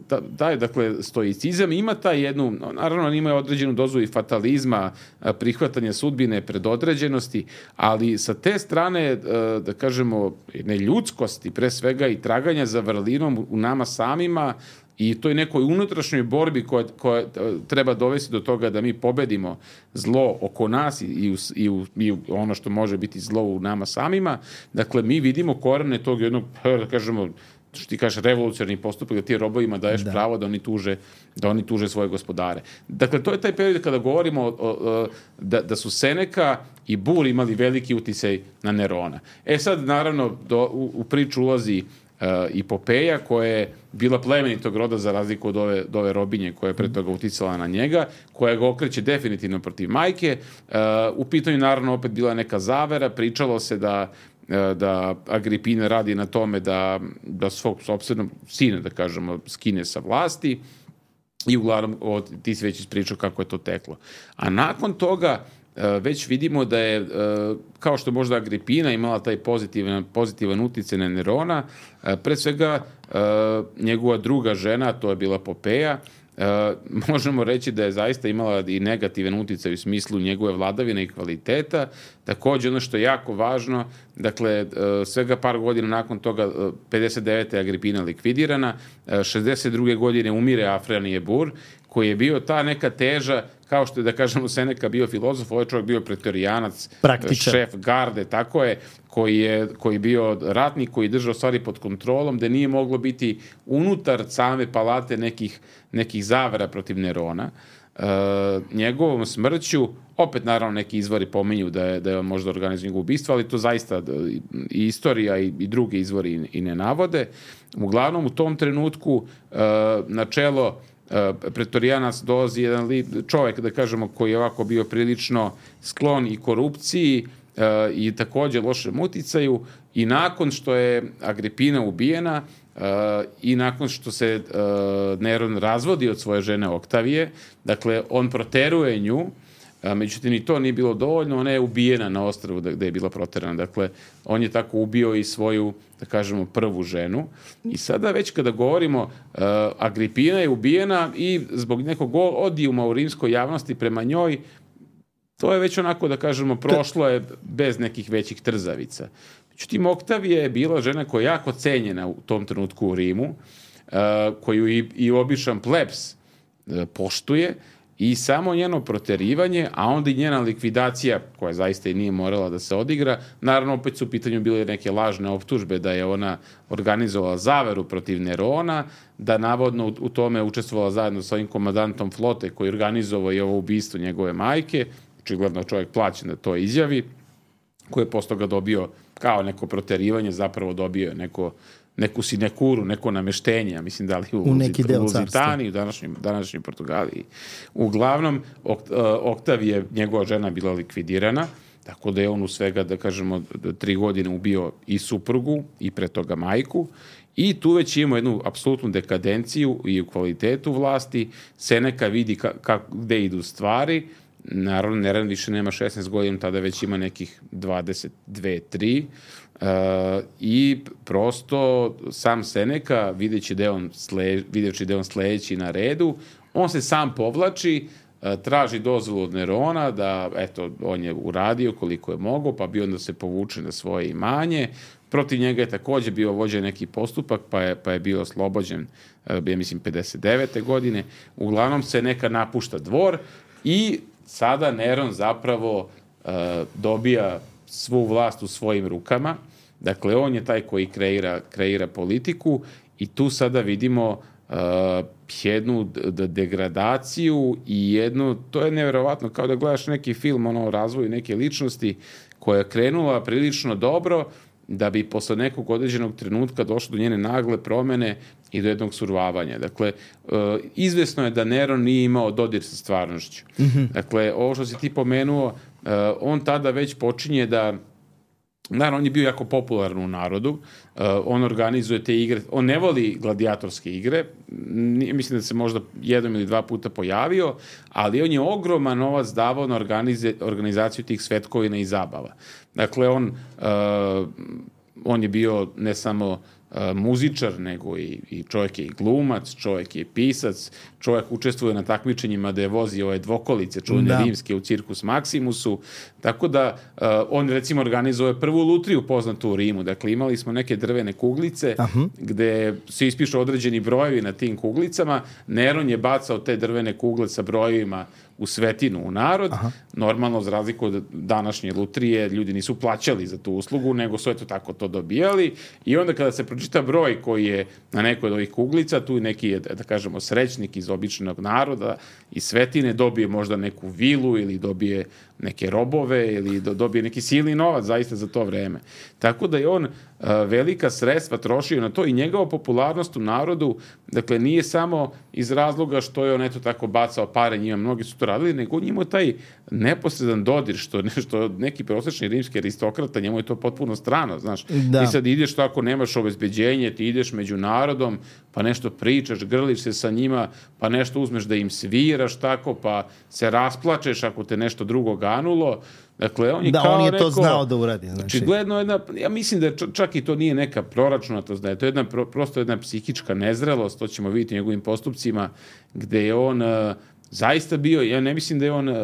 da, da, dakle, stoicizam ima taj jednu, naravno ima određenu dozu i fatalizma, prihvatanja sudbine, predodređenosti, ali sa te strane, da kažemo, neljudskosti, pre svega i traganja za vrlinom u nama samima, i toj nekoj unutrašnjoj borbi koja, koja treba dovesti do toga da mi pobedimo zlo oko nas i, i, i, u, i ono što može biti zlo u nama samima. Dakle, mi vidimo korene tog jednog, da kažemo, što ti kažeš, revolucionarni postupak, da ti robovima daješ da. pravo da oni tuže, da oni tuže svoje gospodare. Dakle, to je taj period kada govorimo o, o, da, da su Seneka i Bur imali veliki uticaj na Nerona. E sad, naravno, do, u, u priču ulazi Uh, i Popeja, koja je bila plemenitog roda za razliku od ove, od ove robinje koja je pre toga uticala na njega, koja ga okreće definitivno protiv majke. Uh, u pitanju naravno opet bila neka zavera, pričalo se da, uh, da Agripina radi na tome da, da svog sopstvenog sina, da kažemo, skine sa vlasti i uglavnom od, ti si već ispričao kako je to teklo. A nakon toga već vidimo da je, kao što možda Agripina imala taj pozitivan, pozitivan utjecaj na Nerona, pre svega njegova druga žena, to je bila Popeja, možemo reći da je zaista imala i negativan utjecaj u smislu njegove vladavine i kvaliteta. Također ono što je jako važno, dakle, svega par godina nakon toga, pedeset devete. Agripina likvidirana, šezdeset druge. godine umire Afrianije Bur, koji je bio ta neka teža, kao što je, da kažemo, Seneka bio filozof, ovaj čovjek bio pretorijanac, praktičan, šef garde, tako je, koji je koji bio ratnik, koji držao stvari pod kontrolom, da nije moglo biti unutar same palate nekih, nekih zavera protiv Nerona. E, njegovom smrću, opet naravno neki izvori pominju da je, da je možda organizovao njegovo ubistvo, ali to zaista i istorija i, i drugi izvori i, i ne navode. Uglavnom, u tom trenutku e, na čelo pretorijanac dolazi jedan čovjek, da kažemo, koji je ovako bio prilično sklon i korupciji uh, i također lošem uticaju, i nakon što je Agripina ubijena uh, i nakon što se uh, Neron razvodi od svoje žene Oktavije, dakle, on proteruje nju. Međutim, i to nije bilo dovoljno, ona je ubijena na ostrvu gde je bila proterana. Dakle, on je tako ubio i svoju, da kažemo, prvu ženu. I sada već kada govorimo, uh, Agripina je ubijena i zbog nekog odijuma u rimskoj javnosti prema njoj, to je već onako, da kažemo, prošlo je bez nekih većih trzavica. Međutim, Oktavija je bila žena koja je jako cenjena u tom trenutku u Rimu, uh, koju i, i običan plebs uh, poštuje, i samo njeno proterivanje, a onda i njena likvidacija, koja zaista i nije morala da se odigra, naravno opet su u pitanju bile neke lažne optužbe da je ona organizovala zaveru protiv Nerona, da navodno u, u tome učestvovala zajedno sa ovim komandantom flote koji organizovao i ovo ubistvo njegove majke, očigledno čovjek plaćen da to izjavi, koji je posle toga dobio kao neko proterivanje, zapravo dobio neko neku sinekuru, neko nameštenje, ja mislim da li u, u neki deo u Luzitaniji, u današnjem, današnjem Portugaliji. Uglavnom, Oktavije, njegova žena bila likvidirana, tako da je on u svega, da kažemo, tri godine ubio i suprugu i pre toga majku, i tu već imamo jednu apsolutnu dekadenciju i u kvalitetu vlasti. Seneca vidi ka, ka, gde idu stvari. Naravno, Neron više nema šesnaest godina, tada već ima nekih dvadeset dve tri. Uh, i prosto sam Seneca, videći da je on, sle, videći da je on sledeći na redu, on se sam povlači, uh, traži dozvolu od Nerona da, eto, on je uradio koliko je mogao, pa bi onda se povuče na svoje imanje. Protiv njega je takođe bio vođen neki postupak, pa je, pa je bio oslobođen, ja mislim, pedeset devete godine. Uglavnom se neka napušta dvor i sada Neron zapravo uh, dobija svu vlast u svojim rukama. Dakle, on je taj koji kreira, kreira politiku i tu sada vidimo uh, jednu d- degradaciju i jednu, to je nevjerovatno, kao da gledaš neki film ono, o razvoju neke ličnosti koja je krenula prilično dobro, da bi posle nekog određenog trenutka došlo do njene nagle promene i do jednog survavanja. Dakle, uh, izvesno je da Neron nije imao dodir sa stvarnošću. Mm-hmm. Dakle, ovo što si ti pomenuo, uh, on tada već počinje da, naravno, on je bio jako popularan u narodu, uh, on organizuje te igre, on ne voli gladijatorske igre, mislim da se možda jednom ili dva puta pojavio, ali on je ogroman novac davao na organize, organizaciju tih svetkovina i zabava. Dakle, on, uh, on je bio ne samo uh, muzičar, nego i, i čovjek je i glumac, čovjek je pisac, čovjek učestvuje na takmičenjima da je vozi ove dvokolice, čuvene da. rimske u Cirkus Maximusu, tako da uh, on recimo organizuje prvu lutriju poznatu u Rimu. Dakle, imali smo neke drvene kuglice Aha. gde se ispišu određeni brojevi na tim kuglicama. Neron je bacao te drvene kugle sa brojevima u svetinu u narod. Aha. Normalno, za razliku od današnje lutrije, ljudi nisu plaćali za tu uslugu, nego su eto tako to dobijali. I onda kada se pročita broj koji je na nekoj od ovih kuglica, tu neki je, da kažemo, srećnik iz običnog naroda i svetine, dobije možda neku vilu ili dobije neke robove ili dobije neki silni novac zaista za to vreme. Tako da je on uh, velika sredstva trošio na to i njegova popularnost u narodu, dakle, nije samo iz razloga što je on eto tako bacao pare njima, mnogi su to radili, nego on imao taj neposredan dodir, što nešto neki prosečni rimski aristokrata, njemu je to potpuno strano, znaš. Da. Ti sad ideš tako, nemaš obezbeđenje, ti ideš među narodom, pa nešto pričaš, grliš se sa njima, pa nešto uzmeš da im sviraš tako, pa se rasplačeš ako te nešto drugo ganulo. Dakle, on je da, kao on je neko, to znao da uradi. Znači, gledno jedna, ja mislim da je čak i to nije neka proračunatost, da je to jedna, prosto jedna psihička nezrelost, to ćemo vidjeti u njegovim postupcima, gde je on uh, zaista bio, ja ne mislim da je on, uh,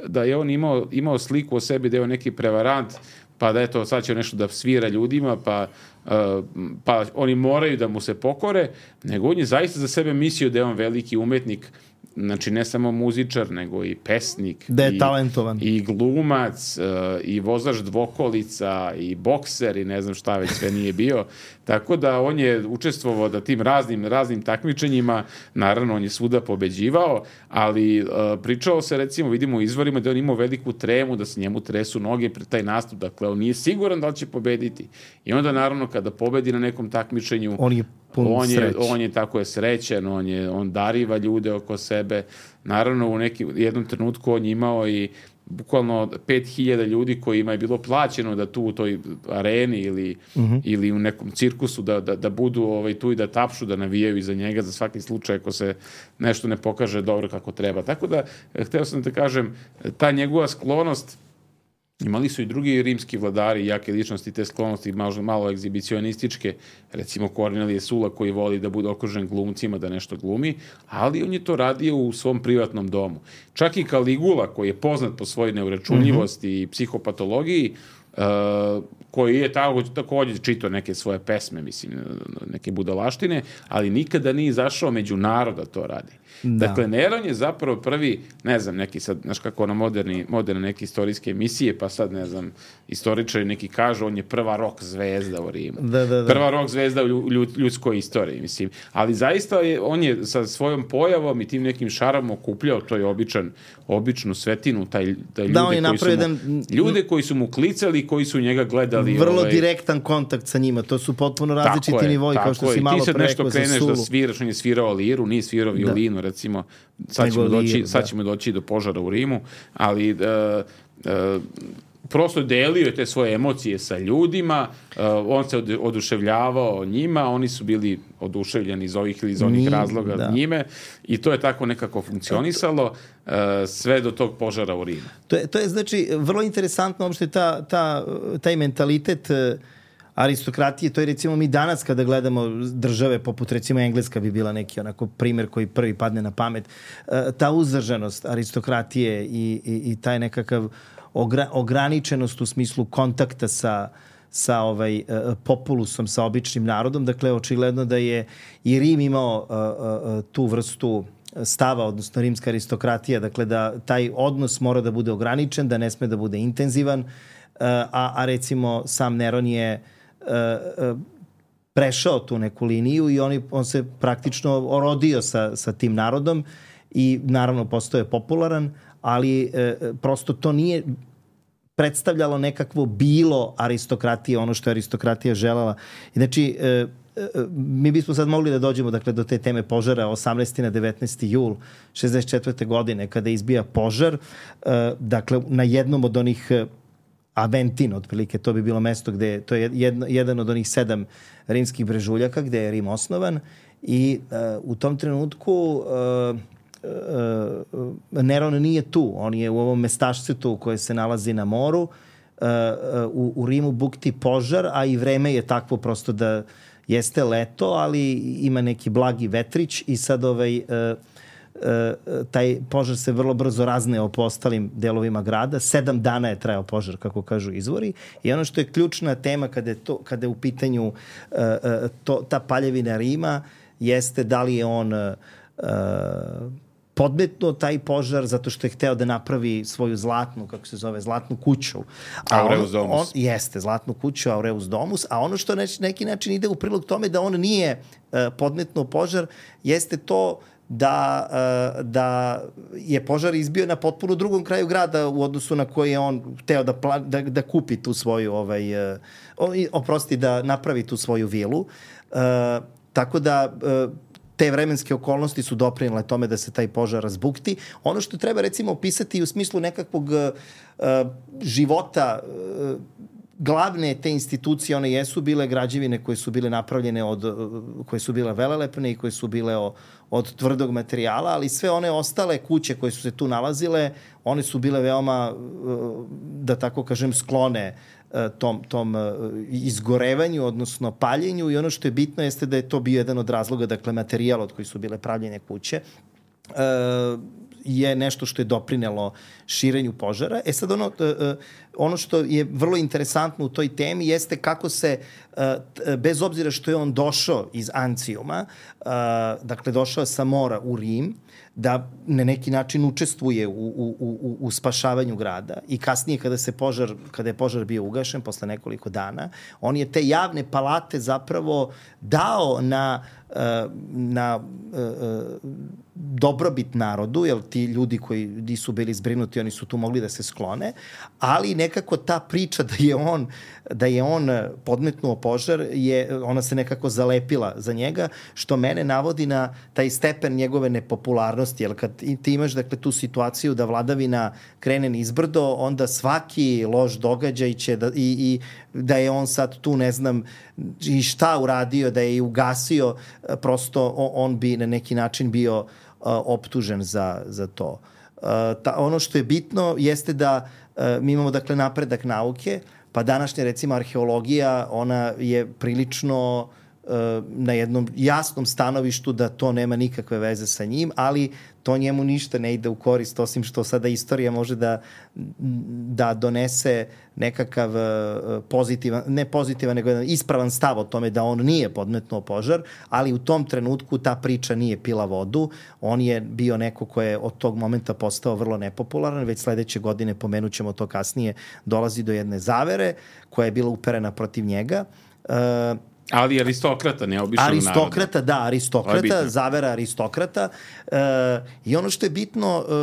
da je on imao, imao sliku o sebi, da je on neki prevarant, pa da eto, sad će nešto da svira ljudima, pa, uh, pa oni moraju da mu se pokore, nego on je zaista za sebe mislio da je on veliki umetnik, znači ne samo muzičar, nego i pesnik. Da je i, talentovan. I glumac, uh, i vozač dvokolica, i bokser, i ne znam šta već sve nije bio. Tako da on je učestvovao da tim raznim, raznim takmičenjima, naravno on je svuda pobeđivao, ali uh, pričao se, recimo, vidimo u izvorima da on imao veliku tremu, da se njemu tresu noge pred taj nastup, dakle on nije siguran da li će pobediti. I onda naravno kada pobedi na nekom takmičenju, on je On je, on je tako je srećan, on, je, on dariva ljude oko sebe. Naravno, u neki, jednom trenutku on je imao i bukvalno pet hiljada ljudi kojima je bilo plaćeno da tu u toj areni ili, uh-huh. ili u nekom cirkusu da, da, da budu ovaj, tu i da tapšu, da navijaju iza njega za svaki slučaj ako se nešto ne pokaže dobro kako treba. Tako da, hteo sam da kažem, ta njegova sklonost, imali su i drugi rimski vladari, jake ličnosti, te sklonosti malo, malo egzibicionističke, recimo Kornelije Sula koji voli da bude okružen glumcima, da nešto glumi, ali on je to radio u svom privatnom domu. Čak i Kaligula, koji je poznat po svojoj neuračunljivosti mm-hmm. i psihopatologiji, uh, koji je tako, također čitao neke svoje pesme, mislim, neke budalaštine, ali nikada nije izašao među naroda to radi. Da. Dakle, Neron je zapravo prvi, ne znam, neki sad, znaš kako ono moderni, moderne neke istorijske emisije, pa sad, ne znam, istoričari neki kažu, on je prva rock zvezda u Rimu. Da, da, da. Prva rock zvezda u ljud, ljudskoj istoriji, mislim. Ali zaista je, on je sa svojom pojavom i tim nekim šarom okupljao, to je običan, običnu svetinu, taj, taj ljude, da, koji su mu, jedan... ljude koji su mu klicali ostali koji su njega gledali. Vrlo ovaj, direktan kontakt sa njima, to su potpuno različiti nivoji, kao što si malo pre rekao za Sulu. Ti sad nešto kreneš da sviraš, on je svirao liru, nije svirao violinu, da. recimo, sad ćemo, doći, liru, sad ćemo doći do požara u Rimu, ali... Uh, uh, prosto delio je te svoje emocije sa ljudima, uh, on se oduševljavao njima, oni su bili oduševljeni iz ovih ili iz onih Ni, razloga da. njime i to je tako nekako funkcionisalo uh, sve do tog požara u Rimu. To je, to je znači vrlo interesantno uopšte ta, ta, taj mentalitet uh, aristokratije, to je recimo mi danas kada gledamo države poput recimo Engleska bi bila neki onako primer koji prvi padne na pamet, uh, ta uzdržanost aristokratije i, i, i taj nekakav Ogra, ograničenost u smislu kontakta sa, sa ovaj, uh, populusom, sa običnim narodom. Dakle, očigledno da je i Rim imao uh, uh, tu vrstu stava, odnosno rimska aristokratija, dakle da taj odnos mora da bude ograničen, da ne sme da bude intenzivan, uh, a, a recimo sam Neron je uh, uh, prešao tu neku liniju i on, on se praktično orodio sa, sa tim narodom i naravno postao je popularan, ali e, prosto to nije predstavljalo nekakvo bilo aristokratije, ono što je aristokratija želela. Znači, e, e, mi bismo sad mogli da dođemo dakle, do te teme požara osamnaesti na devetnaesti jul šezdeset četvrte godine kada izbija požar. E, dakle, na jednom od onih Aventin, otprilike, to bi bilo mesto gde, to je jedno, jedan od onih sedam rimskih brežuljaka gde je Rim osnovan i e, u tom trenutku e, Uh, Neron nije tu, on je u ovom mestašcetu koje se nalazi na moru, uh, u, u Rimu bukti požar, a i vreme je takvo prosto da jeste leto, ali ima neki blagi vetrić i sad ovaj, uh, uh, taj požar se vrlo brzo razneo po ostalim delovima grada. Sedam dana je trajao požar, kako kažu izvori. I ono što je ključna tema kada je, to, kada je u pitanju uh, uh, to, ta paljevina Rima jeste da li je on uh, podmetnuo taj požar zato što je hteo da napravi svoju zlatnu, kako se zove, zlatnu kuću. A Aureus on, Domus. On, jeste, zlatnu kuću Aureus Domus, a ono što na neki način ide u prilog tome da on nije uh, podmetnuo požar, jeste to da, uh, da je požar izbio na potpuno drugom kraju grada u odnosu na koji je on hteo da, pla, da, da kupi tu svoju, ovaj, uh, oprosti, da napravi tu svoju vilu. Uh, tako da uh, te vremenske okolnosti su doprinile tome da se taj požar razbukti. Ono što treba recimo opisati u smislu nekakvog uh, života uh, glavne te institucije, one jesu bile građevine koje su bile napravljene od, koje su bile velelepne i koje su bile o, od tvrdog materijala, ali sve one ostale kuće koje su se tu nalazile, one su bile veoma, da tako kažem, sklone tom, tom izgorevanju, odnosno paljenju, i ono što je bitno jeste da je to bio jedan od razloga, dakle, materijal od koji su bile pravljene kuće, je nešto što je doprinelo širenju požara. E sad ono, ono što je vrlo interesantno u toj temi jeste kako se, bez obzira što je on došao iz Ancijuma, dakle došao sa mora u Rim, da na neki način učestvuje u, u, u, u spašavanju grada, i kasnije kada se požar, kada je požar bio ugašen posle nekoliko dana, on je te javne palate zapravo dao na na dobrobit narodu, jer ti ljudi koji nisu bili zbrinuti, oni su tu mogli da se sklone, ali nekako ta priča da je on, da je on podmetnuo požar, je, ona se nekako zalepila za njega, što mene navodi na taj stepen njegove nepopularnosti, jer kad ti imaš, dakle, tu situaciju da vladavina krene nizbrdo, onda svaki loš događaj će da, i, i da je on sad tu, ne znam, i šta uradio, da je i ugasio, prosto on bi na neki način bio uh, optužen za, za to. Uh, ta, ono što je bitno jeste da uh, mi imamo, dakle, napredak nauke, pa današnja, recimo, arheologija, ona je prilično uh, na jednom jasnom stanovištu da to nema nikakve veze sa njim, ali to njemu ništa ne ide u korist, osim što sada istorija može da, da donese nekakav pozitivan, ne pozitivan, nego ispravan stav o tome da on nije podmetnuo požar, ali u tom trenutku ta priča nije pila vodu. On je bio neko ko je od tog momenta postao vrlo nepopularan. Već sledeće godine, pomenut ćemo to kasnije, dolazi do jedne zavere koja je bila uperena protiv njega. Ali aristokrata, ne običnog naroda. Aristokrata, da, aristokrata, zavera aristokrata. E, I ono što je bitno e,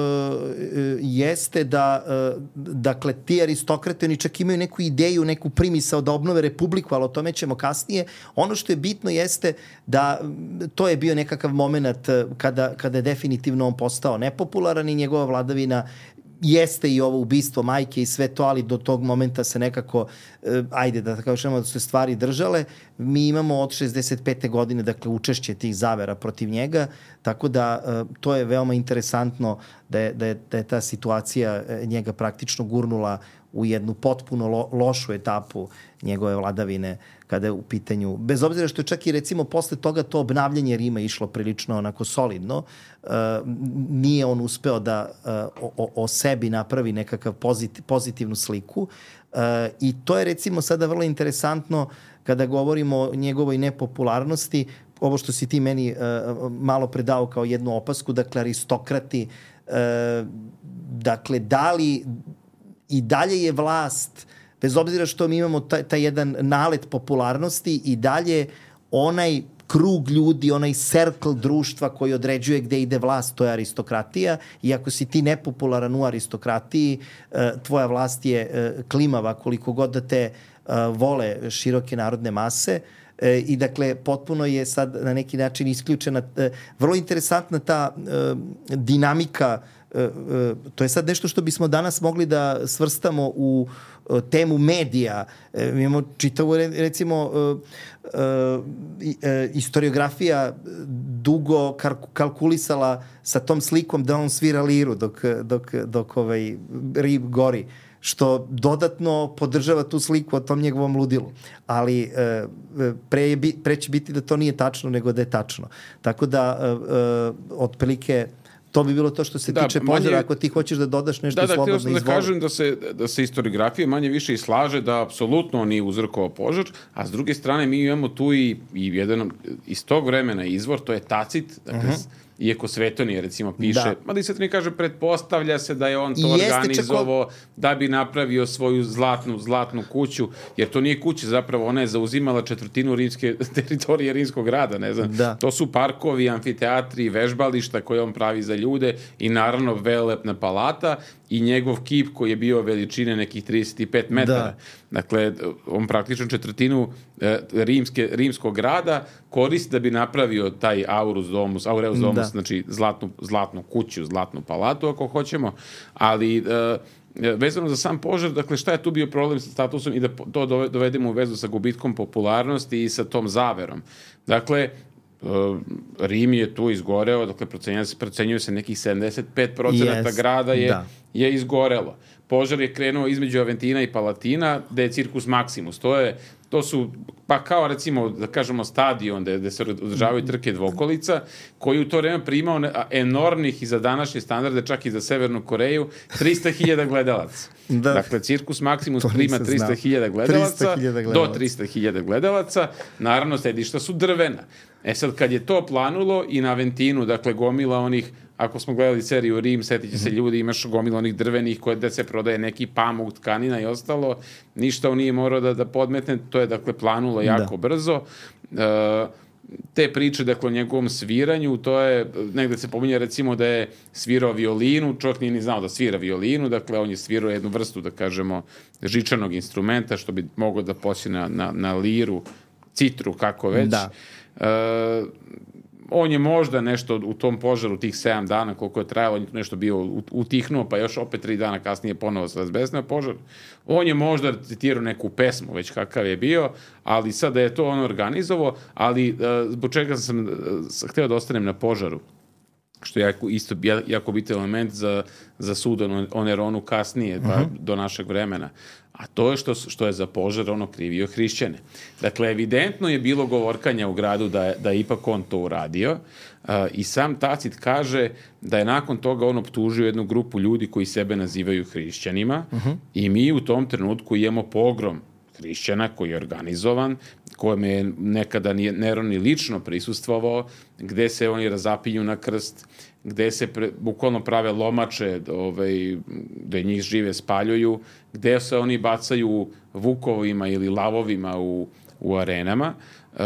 jeste da, e, dakle, ti aristokrate, oni čak imaju neku ideju, neku primisao da obnove republiku, ali o tome ćemo kasnije. Ono što je bitno jeste da to je bio nekakav moment kada, kada je definitivno on postao nepopularan i njegova vladavina jeste i ovo ubistvo majke i sve to, ali do tog momenta se nekako, eh, ajde da kažemo da su stvari držale. Mi imamo od šezdeset pete godine, dakle, učešće tih zavera protiv njega, tako da eh, to je veoma interesantno da je, da je, da je ta situacija njega praktično gurnula u jednu potpuno lo, lošu etapu njegove vladavine kada je u pitanju, bez obzira što je čak i recimo posle toga to obnavljanje Rima išlo prilično onako solidno, uh, nije on uspeo da uh, o, o sebi napravi nekakav pozit, pozitivnu sliku uh, i to je recimo sada vrlo interesantno kada govorimo o njegovoj nepopularnosti, ovo što si ti meni uh, malo predao kao jednu opasku, dakle aristokrati, uh, dakle da li i dalje je vlast, bez obzira što mi imamo taj, taj jedan nalet popularnosti, i dalje onaj krug ljudi, onaj circle društva koji određuje gde ide vlast, to je aristokratija, i ako si ti nepopularan u aristokratiji, tvoja vlast je klimava koliko god da te vole široke narodne mase. I dakle, potpuno je sad na neki način isključena, vrlo interesantna ta dinamika. To je sad nešto što bismo danas mogli da svrstamo u temu medija. Mi imamo čitavu, recimo, historiografija dugo kalkulisala sa tom slikom da on svira liru dok, dok, dok ovaj Rim gori, što dodatno podržava tu sliku o tom njegovom ludilu. Ali pre, je, pre će biti da to nije tačno nego da je tačno. Tako da, otprilike, to bi bilo to što se da, tiče požara. Ako ti hoćeš da dodaš nešto, da, da, slobodno izvoli. Da, da kažem da se, da se historiografija manje više i slaže da apsolutno on nije uzrokovao požar, a s druge strane mi imamo tu i, i jedan iz tog vremena izvor, to je Tacit, dakle, uh-huh. iako Svetonije recimo piše, da. Mada i Svetonije kaže, pretpostavlja se da je on to Jeste organizovao čako... da bi napravio svoju zlatnu, zlatnu kuću, jer to nije kuća zapravo, ona je zauzimala četvrtinu rimske teritorije rimskog grada, ne znam. Da. To su parkovi, amfiteatri, vežbališta koje on pravi za ljude i naravno velelepna palata i njegov kip koji je bio veličine nekih trideset pet metara. Da. Dakle, on praktično četvrtinu e, rimske, rimskog grada koristi da bi napravio taj Aurus Domus, Aureus Domus, da. Znači zlatnu, zlatnu kuću, zlatnu palatu ako hoćemo, ali e, vezano za sam požar, dakle šta je tu bio problem sa statusom i da to dovedemo u vezu sa gubitkom popularnosti i sa tom zaverom. Dakle, Rim je tu izgoreo, dakle procenjuje se, procenjuje se nekih sedamdeset pet procenata yes, grada je, da. je izgorelo. Požar je krenuo između Aventina i Palatina, gde je Circus Maximus. To je, to su, pa kao recimo, da kažemo, stadion gde, gde se održavaju trke dvokolica, koji u to vreme primao enormnih i za današnje standarde, čak i za Severnu Koreju, trista hiljada gledalaca. Da. Dakle, Circus Maximus prima trista hiljada gledalaca, do trista hiljada gledalaca. Naravno, sedišta su drvena. E sad, kad je to planulo i na Aventinu, dakle, gomila onih, ako smo gledali seriju Rim, setit će se ljudi, imaš gomila onih drvenih koje da se prodaje neki pamuk, tkanina i ostalo, ništa on nije morao da, da podmetne, to je, dakle, planulo jako da. brzo. E, te priče, dakle, o njegovom sviranju, to je, negde se pominje recimo da je svirao violinu, čovjek nije ni znao da svira violinu, dakle, on je svirao jednu vrstu, da kažemo, žičanog instrumenta, što bi moglo da poći na, na, na liru, citru, kako već. Da. E, on je možda nešto u tom požaru tih sedam dana koliko je trajalo, on je nešto bio utihnuo, pa još opet tri dana kasnije ponovo se razbesnao požar. On je možda citirao neku pesmu, već kakav je bio, ali sad da je to on organizovao, ali uh, zbog čega sam uh, hteo da ostanem na požaru, što je jako, isto jako bitan element za, za sud o Neronu kasnije, pa, uh-huh. do našeg vremena. A to je što, što je za požar ono krivio hrišćane. Dakle, evidentno je bilo govorkanja u gradu da je, da je ipak on to uradio uh, i sam Tacit kaže da je nakon toga on optužio jednu grupu ljudi koji sebe nazivaju hrišćanima uh-huh. i mi u tom trenutku imamo pogrom hrišćana koji je organizovan, kojem je nekada Neron i lično prisustvovao, gde se oni razapinju na krst, gde se pre, bukvalno prave lomače, ovaj, gde njih žive spaljuju, gde se oni bacaju vukovima ili lavovima u, u arenama, uh,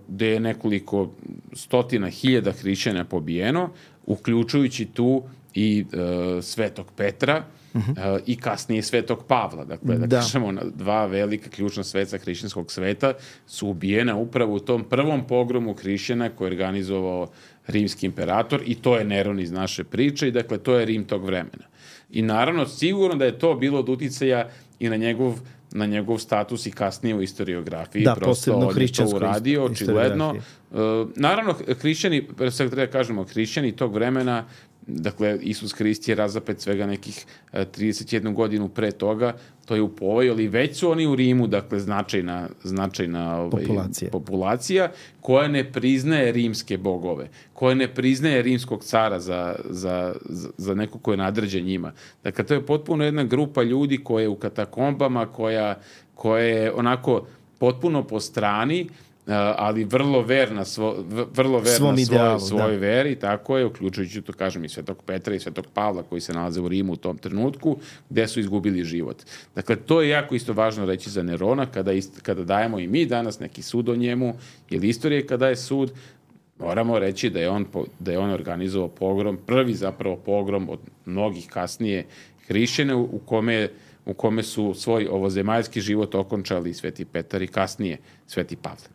gde je nekoliko stotina hiljada hrišćana pobijeno, uključujući tu i uh, Svetog Petra, Uh, i kasnije Svetog Pavla. Dakle, da, da kažemo, dva velika ključna sveca hrišćanskog sveta su ubijena upravo u tom prvom pogromu hrišćana koji je organizovao rimski imperator i to je Neron iz naše priče i dakle, to je Rim tog vremena. I naravno, sigurno da je to bilo od uticaja i na njegov na njegov status i kasnije u historiografiji. Da, prosto on je to uradio, očigledno. Uh, naravno, hrišćani, sve treba kažemo, hrišćani tog vremena, dakle, Isus Hrist je razapet svega nekih trideset jednu godinu pre toga, to je u povoju, ali već su oni u Rimu, dakle, značajna, značajna ovaj, populacija. populacija koja ne priznaje rimske bogove, koja ne priznaje rimskog cara za, za, za neko ko je nadređen njima. Dakle, to je potpuno jedna grupa ljudi koja je u katakombama, koja, koja je onako potpuno po strani, Uh, ali vrlo verna, svo, vrlo verna svoj, svoj da. veri, tako je, uključujući to, kažem, i Svetog Petra i Svetog Pavla koji se nalaze u Rimu u tom trenutku, gde su izgubili život. Dakle, to je jako isto važno reći za Nerona, kada, ist, kada dajemo i mi danas neki sud o njemu, ili istorije kada je sud, moramo reći da je on, da je on organizovao pogrom, prvi zapravo pogrom od mnogih kasnije hrišćana u kome u kome su svoj ovozemaljski život okončali Sveti Petar i kasnije Sveti Pavle.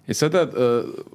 E sada,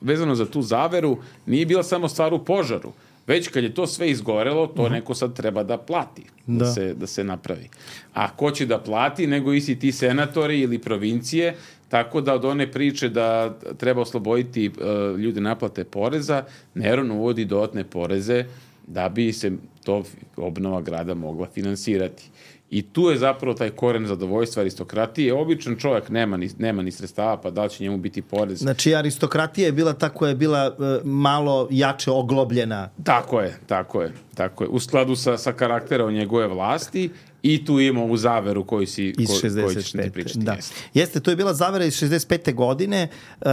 vezano za tu zaveru, nije bila samo stvar u požaru, već kad je to sve izgorelo, to uh-huh. neko sad treba da plati, da. Da, se, da se napravi. A ko će da plati, nego isti ti senatori ili provincije, tako da od one priče da treba osloboditi uh, ljude naplate poreza, Neron uvodi dodatne poreze da bi se to obnova grada mogla finansirati. I tu je zapravo taj koren zadovoljstva aristokratije. Običan čovjek nema ni, nema ni sredstava, pa da li će njemu biti porez? Znači, aristokratija je bila ta koja je bila uh, malo jače oglobljena. Tako je, tako je. Tako je. U skladu sa, sa karakterom njegove vlasti i tu imamo ovu zaveru koju si, iz ko, šezdeset pete. Koju ćeš ti pričati. Da. Jeste. Jeste, to je bila zavera iz šezdeset pete godine. Uh,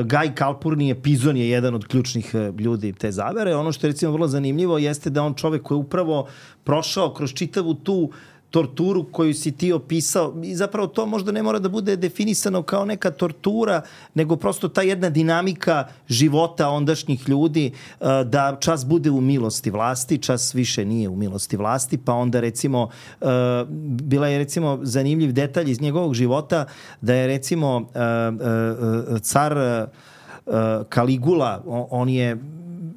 Gaj Calpurnije Pizon je jedan od ključnih uh, ljudi te zavere. Ono što je recimo vrlo zanimljivo jeste da on čovek koji je upravo prošao kroz čitavu tu torturu koju si ti opisao i zapravo to možda ne mora da bude definisano kao neka tortura, nego prosto ta jedna dinamika života ondašnjih ljudi, da čas bude u milosti vlasti, čas više nije u milosti vlasti, pa onda recimo bila je recimo zanimljiv detalj iz njegovog života da je recimo car Kaligula, on je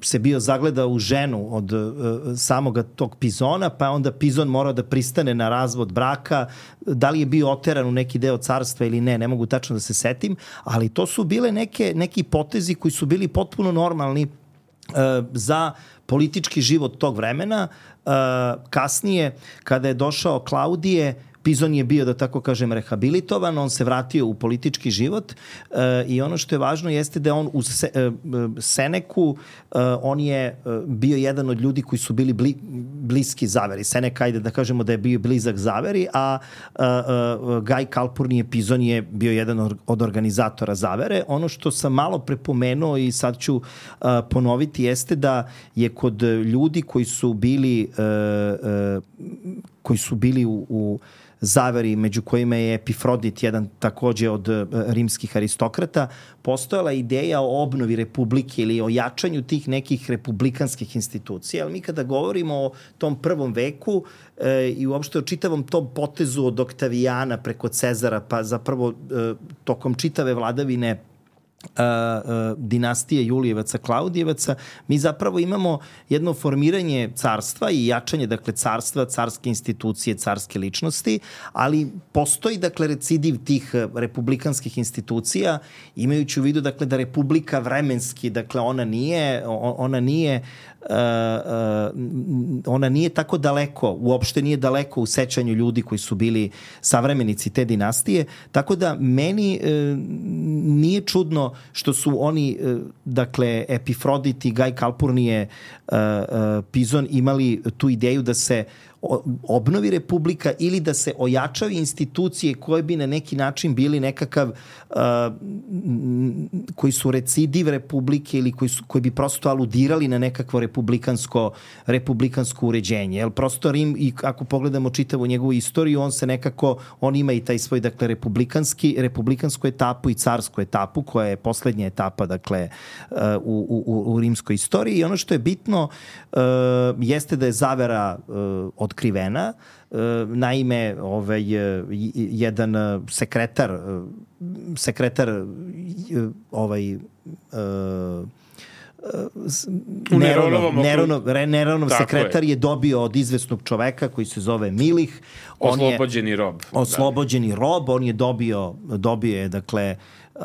se bio zagledao u ženu od uh, samoga tog Pizona, pa onda Pizon morao da pristane na razvod braka. Da li je bio oteran u neki deo carstva ili ne, ne mogu tačno da se setim, ali to su bile neke, neki potezi koji su bili potpuno normalni uh, za politički život tog vremena. Uh, kasnije, kada je došao Klaudije, Pizon je bio, da tako kažem, rehabilitovan, on se vratio u politički život uh, i ono što je važno jeste da on u se, uh, Seneku, uh, on je uh, bio jedan od ljudi koji su bili bli, bliski zaveri. Seneka, ajde da kažemo da je bio blizak zaveri, a uh, uh, Gaj Calpurnije Pizon je bio jedan od organizatora zavere. Ono što sam malo prepomenuo i sad ću uh, ponoviti jeste da je kod ljudi koji su bili uh, uh, koji su bili u, u zaveri, među kojima je Epifrodit, jedan takođe od uh, rimskih aristokrata, postojala ideja o obnovi republike ili o jačanju tih nekih republikanskih institucija. Ali mi kada govorimo o tom prvom veku uh, i uopšte o čitavom tom potezu od Oktavijana preko Cezara, pa zapravo uh, tokom čitave vladavine Uh, uh, dinastije Julijevaca, Klaudijevaca, mi zapravo imamo jedno formiranje carstva i jačanje, dakle, carstva, carske institucije, carske ličnosti, ali postoji, dakle, recidiv tih republikanskih institucija, imajući u vidu, dakle, da republika vremenski, dakle, ona nije, ona nije Uh, uh, ona nije tako daleko, uopšte nije daleko u sećanju ljudi koji su bili savremenici te dinastije, tako da meni uh, nije čudno što su oni, uh, dakle, Epifrodit i Gaj Calpurnije uh, uh, Pizon imali tu ideju da se obnovi republika ili da se ojačaju institucije koje bi na neki način bili nekakav uh, koji su recidiv republike ili koji, su, koji bi prosto aludirali na nekakvo republikansko, republikansko uređenje. Jer prosto Rim, i ako pogledamo čitavu njegovu istoriju, on se nekako, on ima i taj svoj, dakle, republikanski, republikansku etapu i carsku etapu, koja je poslednja etapa, dakle, uh, u, u, u rimskoj istoriji. I ono što je bitno uh, jeste da je zavera uh, otkrivena. Uh, naime, ovaj, jedan uh, sekretar uh, sekretar uh, ovaj uh, Neronov, Neronov, Neronov sekretar je. je dobio od izvesnog čoveka koji se zove Milih. On oslobođeni je, rob. Oslobođeni da. rob. On je dobio, dobio je, dakle, uh,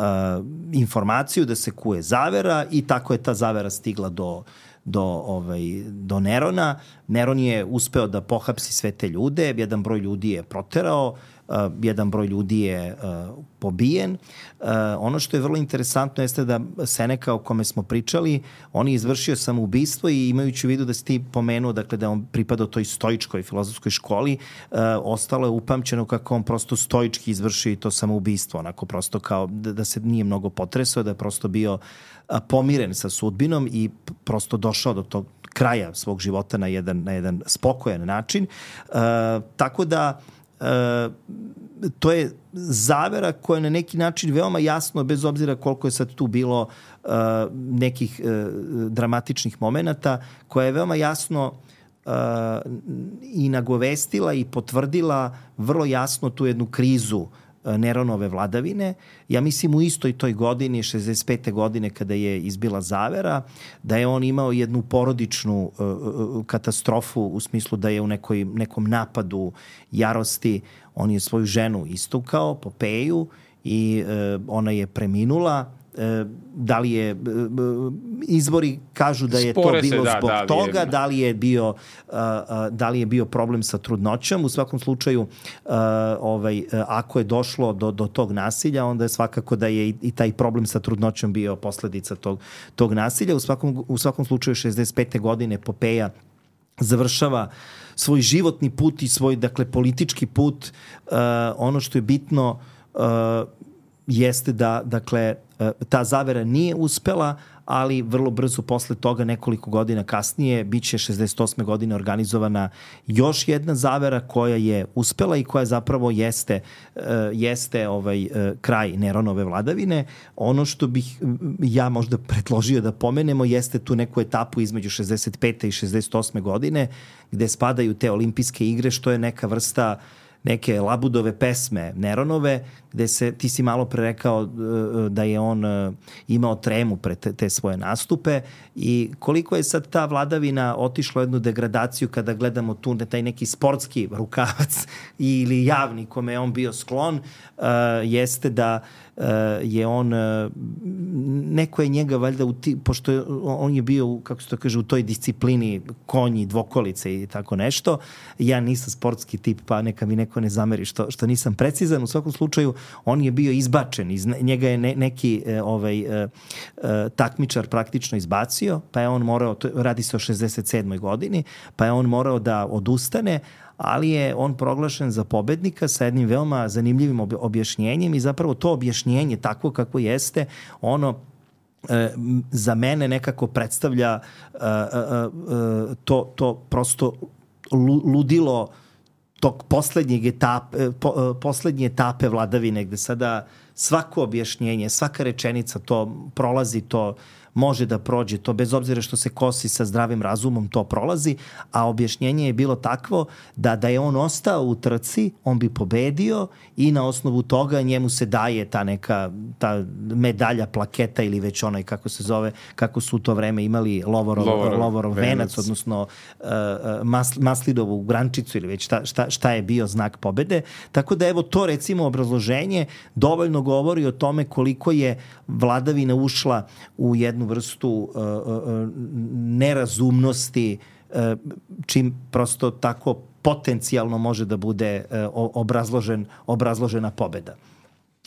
informaciju da se kuje zavera i tako je ta zavera stigla do do, ovaj, do Nerona. Neron je uspeo da pohapsi sve te ljude, jedan broj ljudi je proterao, uh, jedan broj ljudi je uh, pobijen. Uh, ono što je vrlo interesantno jeste da Seneka, o kome smo pričali, on je izvršio samoubistvo i imajući u vidu da si ti pomenuo, dakle, da on pripadao toj stoičkoj filozofskoj školi, uh, ostalo je upamćeno kako on prosto stoički izvršio i to samoubistvo, onako prosto kao da, da se nije mnogo potresao, da je prosto bio pomiren sa sudbinom i prosto došao do tog kraja svog života na jedan, na jedan spokojan način. E, tako da e, to je zavera koja je na neki način veoma jasno, bez obzira koliko je sad tu bilo e, nekih e, dramatičnih momenata, koja je veoma jasno e, i nagovestila i potvrdila vrlo jasno tu jednu krizu Neronove vladavine. Ja mislim u istoj toj godini, šezdeset pete godine, kada je izbila zavera, da je on imao jednu porodičnu uh, katastrofu u smislu da je u nekoj, nekom napadu jarosti on je svoju ženu istukao, Popeju, i uh, ona je preminula. Da li je, izvori kažu da je Spore to bilo se, da, zbog da li toga, je, da li je bio da li je bio problem sa trudnoćom. U svakom slučaju, ovaj, ako je došlo do, do tog nasilja, onda je svakako da je i, i taj problem sa trudnoćom bio posledica tog, tog nasilja. U svakom, u svakom slučaju šezdeset pete godine Popeja završava svoj životni put i svoj, dakle, politički put. Ono što je bitno jeste da, dakle, ta zavera nije uspela, ali vrlo brzo posle toga, nekoliko godina kasnije, biće šezdeset osme godine organizovana još jedna zavera koja je uspela i koja zapravo jeste, jeste ovaj kraj Neronove vladavine. Ono što bih ja možda predložio da pomenemo jeste tu neku etapu između šezdeset pete i šezdeset osme godine, gde spadaju te olimpijske igre, što je neka vrsta neke labudove pesme Neronove, gde se, ti si malo pre rekao da je on imao tremu pre te, te svoje nastupe, i koliko je sad ta vladavina otišla u jednu degradaciju kada gledamo tu taj neki sportski rukavac ili javni kome je on bio sklon, uh, jeste da uh, je on uh, neko je njega valjda u ti, pošto je, on je bio, kako se to kaže, u toj disciplini konji, dvokolice i tako nešto. Ja nisam sportski tip, pa neka mi neko ne zameri što, što nisam precizan. U svakom slučaju on je bio izbačen, iz njega je ne, neki e, ovaj, e, e, takmičar praktično izbacio, pa je on morao, to, radi se o šezdeset sedmoj godini, pa je on morao da odustane, ali je on proglašen za pobednika sa jednim veoma zanimljivim objašnjenjem, i zapravo to objašnjenje takvo kako jeste, ono e, za mene nekako predstavlja e, e, e, to, to prosto ludilo tog poslednjeg etape, po, poslednje etape vladavine, gde sada svako objašnjenje, svaka rečenica to prolazi, to može da prođe, to bez obzira što se kosi sa zdravim razumom, to prolazi, a objašnjenje je bilo takvo da da je on ostao u trci, on bi pobedio i na osnovu toga njemu se daje ta neka ta medalja, plaketa ili već onaj, kako se zove, kako su u to vreme imali Lovorov, Lovorov, Lovorov venac, venac, odnosno uh, mas, Maslidovu grančicu ili već šta, šta, šta je bio znak pobede. Tako da evo to, recimo, obrazloženje dovoljno govori o tome koliko je vladavina ušla u jednu vrstu uh, uh, nerazumnosti, uh, čim prosto tako potencijalno može da bude uh, obrazložen, obrazložena pobeda.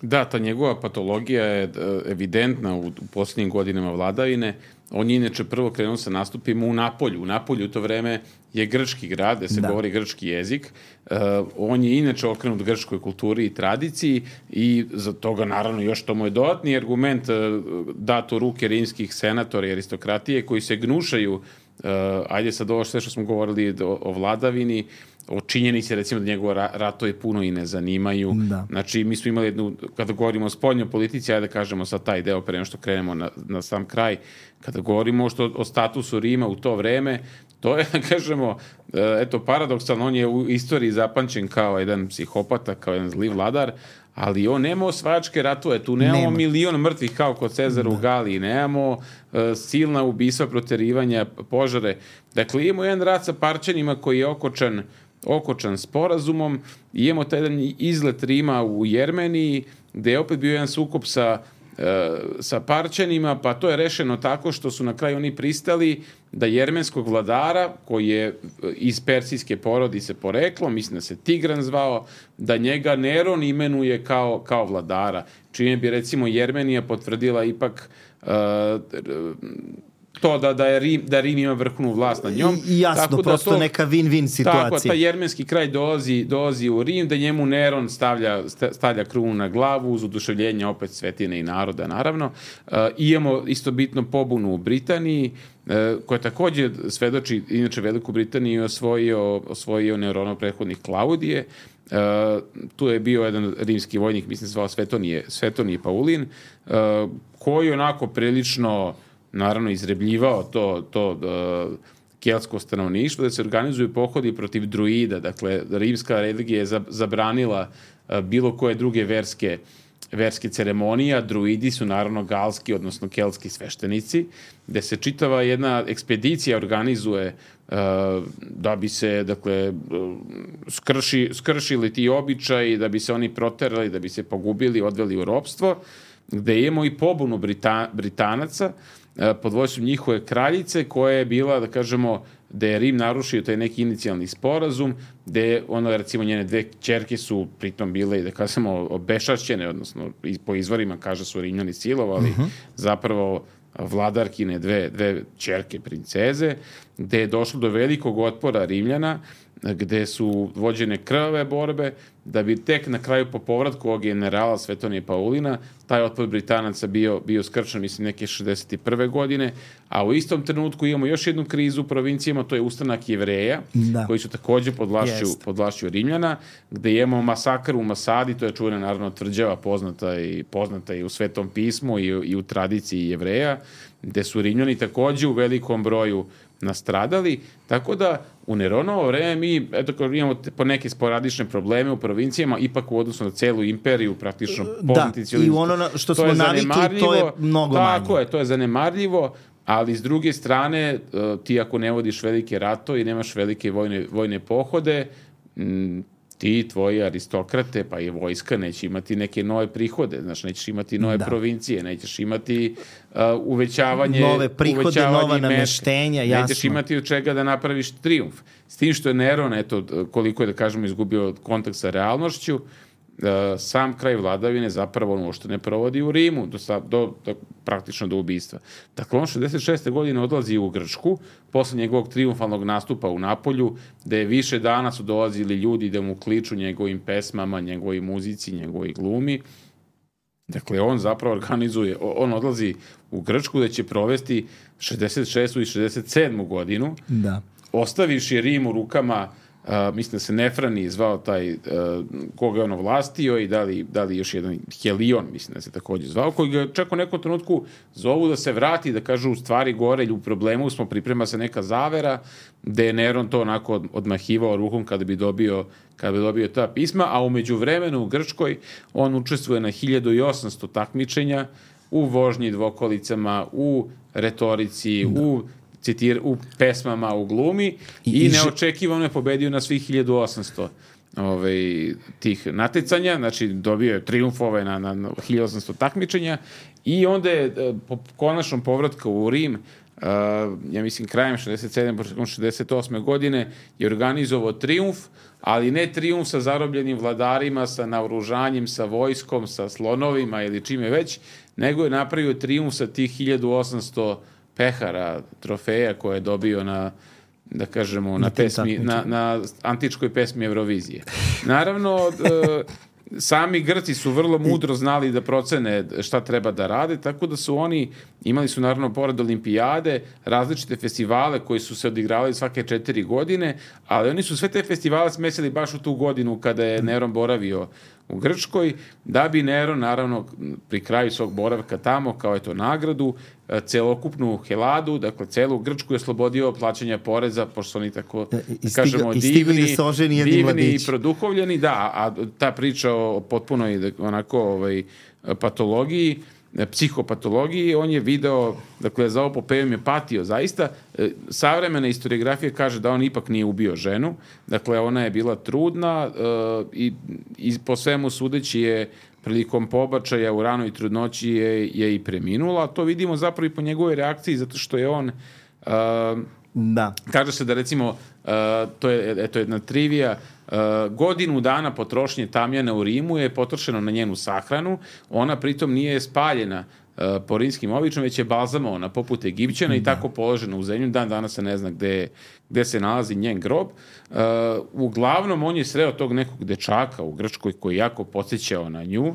Da, ta njegova patologija je evidentna u, u posljednjim godinama vladavine. On je inače prvo krenuo sa nastupima u Napolju. U Napolju u to vreme je grčki grad, gde se da. govori grčki jezik. Uh, on je inače okrenut grčkoj kulturi i tradiciji i za toga naravno još to mu je dodatni argument uh, dat u ruke rimskih senatora i aristokratije koji se gnušaju, uh, ajde sad ovo sve što smo govorili o, o vladavini, o činjenici recimo da njegova ratovi puno i ne zanimaju. Da. Znači mi smo imali jednu, kada govorimo o spoljnoj politici, ajde da kažemo sad taj deo pre nego što krenemo na, na sam kraj, kada govorimo što, o statusu Rima u to vreme, to je, da kažemo, eto, paradoksalno, on je u istoriji zapamćen kao jedan psihopata, kao jedan zli vladar, ali on nema osvajačke ratove, tu nemamo nema. milion mrtvih kao kod Cezara da. u Galiji, nemamo uh, silna ubistva, proterivanja, požare. Dakle, imamo jedan rat sa Parćanima koji je okočan, okočan sporazumom, i imamo taj jedan izlet Rima u Jermeniji, gde je opet bio jedan sukob sa sa Parćanima, pa to je rešeno tako što su na kraju oni pristali da jermenskog vladara, koji je iz persijske porodice poreklom, mislim da se Tigran zvao, da njega Neron imenuje kao, kao vladara. Čime bi recimo Jermenija potvrdila ipak uh, to da, da, je Rim, da Rim ima vrhovnu vlast nad njom. I jasno, tako prosto da to, neka win-win situacija. Tako, taj jermenski kraj dolazi, dolazi u Rim, da njemu Neron stavlja, stavlja krunu na glavu uz oduševljenje opet Svetine i naroda, naravno. Uh, imamo isto bitno pobunu u Britaniji, uh, koja takođe svedoči, inače Veliku Britaniju osvojio, osvojio Neronov prethodnik Klaudije. Uh, tu je bio jedan rimski vojnik, mislim se zvao Svetonije, Svetonije Paulin, uh, koji onako prilično naravno izrebljivao to, to uh, keltsko stanovništvo, da se organizuju pohodi protiv druida. Dakle, rimska religija je zabranila uh, bilo koje druge verske, verske ceremonije, a druidi su naravno galski, odnosno keltski sveštenici, gde se čitava jedna ekspedicija organizuje uh, da bi se, dakle, uh, skrši, skršili ti običaji, da bi se oni proterali, da bi se pogubili, odveli u ropstvo, gde imamo i pobunu Brita, Britanaca, pod vojstvom njihove kraljice, koja je bila, da kažemo, da je Rim narušio taj neki inicijalni sporazum, gde ono, recimo, njene dve ćerke su pritom bile, da kažemo, obešašćene, odnosno po izvorima kaže su Rimljani silovali, uh-huh. zapravo vladarkine dve, dve ćerke princeze, gde je došlo do velikog otpora Rimljana, gde su vođene krvave borbe, da bi tek na kraju po povratku ovog generala Svetonije Paulina taj otpor Britanaca bio, bio skrčen, mislim, neke šezdeset prve godine, a u istom trenutku imamo još jednu krizu u provincijama, to je ustanak Jevreja, da. koji su takođe pod vlašću, pod vlašću Rimljana, gde imamo masakr u Masadi, to je čuvena naravno tvrđava poznata i, poznata i u Svetom pismu i, i u tradiciji Jevreja, gde su Rimljani takođe u velikom broju nastradali, tako da u Neronovo vreme mi eto, imamo po neke sporadične probleme u provincijama, ipak u odnosu na celu imperiju, praktično da, i ono što smo navikli, to je mnogo manje. Tako je, to je zanemarljivo, ali s druge strane, ti ako ne vodiš velike ratove i nemaš velike vojne, vojne pohode, ti, tvoji aristokrate, pa i vojska neće imati neke nove prihode, znači nećeš imati nove da. provincije, nećeš imati uh, uvećavanje nove prihode, uvećavanje nova nameštenja, jasno. Nećeš imati od čega da napraviš trijumf. S tim što je Neron, eto, koliko je, da kažemo, izgubio kontakt sa realnošću, uh, sam kraj vladavine zapravo ono što ne provodi u Rimu, do, do, do, praktično do ubistva. Dakle, on šezdeset šeste godine odlazi u Grčku, posle njegovog triumfalnog nastupa u Napolju, gde je više dana su dolazili ljudi da mu kliču njegovim pesmama, njegovoj muzici, njegovoj glumi. Dakle, on zapravo organizuje, on odlazi u Grčku da će provesti šezdeset šestu i šezdeset sedmu godinu, da. ostavivši Rim u rukama, Uh, mislim da se Nefrani zvao taj uh, koga je ono vlastio i da li, da li još jedan Helion, mislim da se takođe zvao, koji ga čak u nekom trenutku zovu da se vrati, da kažu u stvari gore ili u problemu smo, priprema se neka zavera, gde je Neron to onako odmahivao rukom kada bi dobio, kada bi dobio ta pisma, a umeđu vremenu u Grčkoj on učestvuje na hiljadu i osamsto takmičenja u vožnji dvokolicama, u retorici, da. u citir, u pesmama, u glumi i, i neočekivano je pobedio na svih hiljadu osamsto ovaj, tih natjecanja, znači dobio je trijumfove na, na, na hiljadu osamsto takmičenja i onda je po konačnom povratku u Rim ja mislim krajem šezdeset sedme, početkom šezdeset osme godine je organizovao trijumf, ali ne trijumf sa zarobljenim vladarima, sa naoružanjem, sa vojskom, sa slonovima ili čime već, nego je napravio trijumf sa tih hiljadu osamsto pehara, trofeja koje je dobio na, da kažemo, na, na, pesmi, na, na antičkoj pesmi Eurovizije. Naravno, sami Grci su vrlo mudro znali da procene šta treba da rade, tako da su oni, imali su naravno pored olimpijade, različite festivale koji su se odigravali svake četiri godine, ali oni su sve te festivale smesili baš u tu godinu kada je Neron boravio u Grčkoj, da bi Neron, naravno, pri kraju svog boravka tamo, kao eto nagradu, celokupnu Heladu, dakle, celu Grčku je oslobodio plaćanja poreza, pošto su oni tako, da kažemo, divni, divni i produhovljeni, da, a ta priča o potpunoj, onako, ovaj, patologiji, psihopatologiji, on je video, dakle, za ovo popevim je patio, zaista. Savremena historiografija kaže da on ipak nije ubio ženu, dakle, ona je bila trudna i, i po svemu sudeći je prilikom pobačaja u ranoj trudnoći je, je i preminula. To vidimo zapravo i po njegovoj reakciji, zato što je on... Uh, da. Kaže se da, recimo, uh, to je eto jedna trivija, uh, godinu dana potrošnje tamjana u Rimu je potrošeno na njenu sahranu, ona pritom nije spaljena uh, po rimskim običajima, već je balzamovana poput Egipćana i tako položena u zemlju. Dan danas se ne zna gde, gde se nalazi njen grob. Uh, uglavnom, on je sreo tog nekog dečaka u Grčkoj koji jako podsjećao na nju,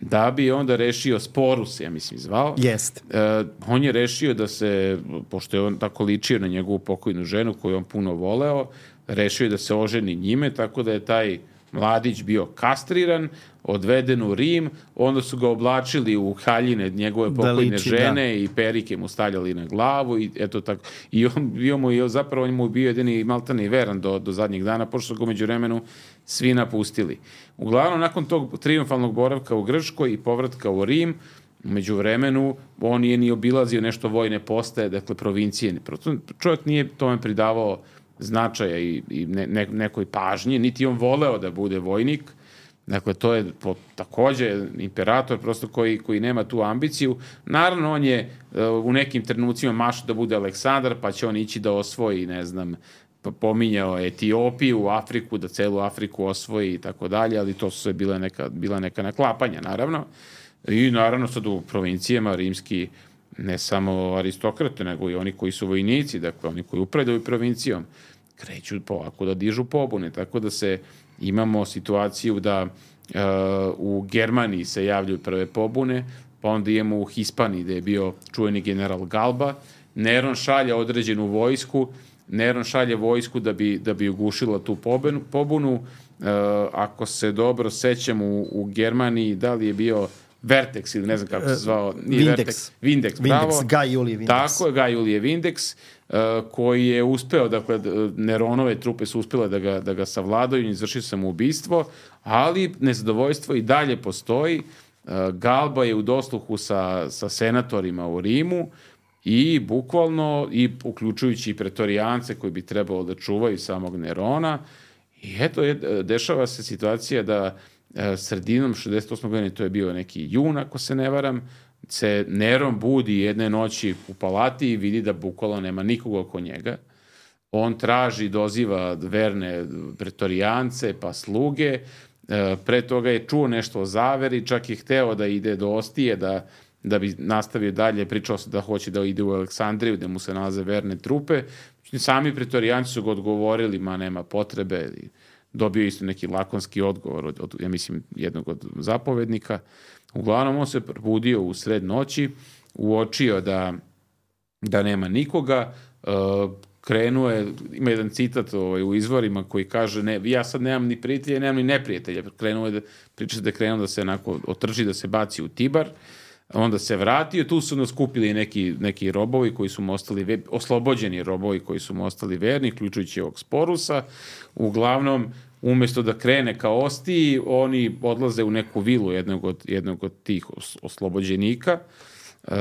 da bi onda rešio, Sporus, ja mislim, zvao. Jeste. Uh, on je rešio da se, pošto je on tako ličio na njegovu pokojnu ženu koju on puno voleo, rešio je da se oženi njime, tako da je taj mladić bio kastriran, odveden u Rim, onda su ga oblačili u haljine njegove pokojne da liči, žene da. I perike mu stavljali na glavu i eto tako. I on bio mu, i zapravo on mu bio jedini maltani veran do, do zadnjeg dana, pošto su ga među vremenu svi napustili. Uglavnom, nakon tog trijumfalnog boravka u Grčkoj i povratka u Rim, među vremenu on nije ni obilazio nešto vojne postaje, dakle provincije. Čovjek nije tome pridavao značaja i, i ne, ne, nekoj pažnji, niti on voleo da bude vojnik. Dakle, to je po, takođe imperator prosto koji, koji nema tu ambiciju. Naravno, on je uh, u nekim trenucima mašao da bude Aleksandar, pa će on ići da osvoji, ne znam, pominjao Etiopiju, Afriku, da celu Afriku osvoji i tako dalje, ali to su sve bile neka, bila neka naklapanja, naravno. I naravno sad u provincijama rimski ne samo aristokrate, nego i oni koji su vojnici, dakle oni koji upravljaju provincijom, kreću polako da dižu pobune, tako da se imamo situaciju da uh, u Germaniji se javljaju prve pobune, pa onda imamo u Hispaniji gde je bio čuveni general Galba, Neron šalje određenu vojsku, Neron šalje vojsku da bi, da bi ugušila tu pobunu, pobunu. Uh, ako se dobro sećam, u, u Germaniji, da li je bio Vertex ili ne znam kako se zvao. Nije Vindex. Vertex. Vindex, bravo. Vindex, Gaj Julije Vindex. Tako je, Gaj Julije Vindex, uh, koji je uspeo, dakle, Neronove trupe su uspjele da ga, da ga savladaju i izvrši samoubistvo, ali nezadovoljstvo i dalje postoji. Uh, Galba je u dosluhu sa, sa senatorima u Rimu i bukvalno, i uključujući i pretorijance koji bi trebalo da čuvaju samog Nerona. I eto, je, dešava se situacija da sredinom šezdeset osme godine, to je bio neki jun, ako se ne varam, se Neron budi jedne noći u palati i vidi da bukvalno nema nikoga oko njega. On traži, doziva verne pretorijance, pa sluge. Pre toga je čuo nešto o zaveri, čak je hteo da ide do Ostije, da, da bi nastavio dalje, pričao se da hoće da ide u Aleksandriju, gde mu se nalaze verne trupe. Sami pretorijanci su ga odgovorili, ma nema potrebe. Dobio isto neki lakonski odgovor od, od, ja mislim, jednog od zapovednika. Uglavnom, on se probudio u sred noći, uočio da, da nema nikoga, uh, krenuo je, ima jedan citat ovaj, u izvorima koji kaže, ne, ja sad nemam ni prijatelja, nemam ni neprijatelja. Krenuo je da, priča da je krenuo da se onako otrži, da se baci u Tibar, onda se vratio, tu su nas skupili neki, neki robovi koji su mu ostali, oslobođeni robovi koji su mu ostali verni, ključujući ovog Sporusa. Uglavnom, umjesto da krene ka Ostiji, oni odlaze u neku vilu jednog od, jednog od tih oslobođenika, uh,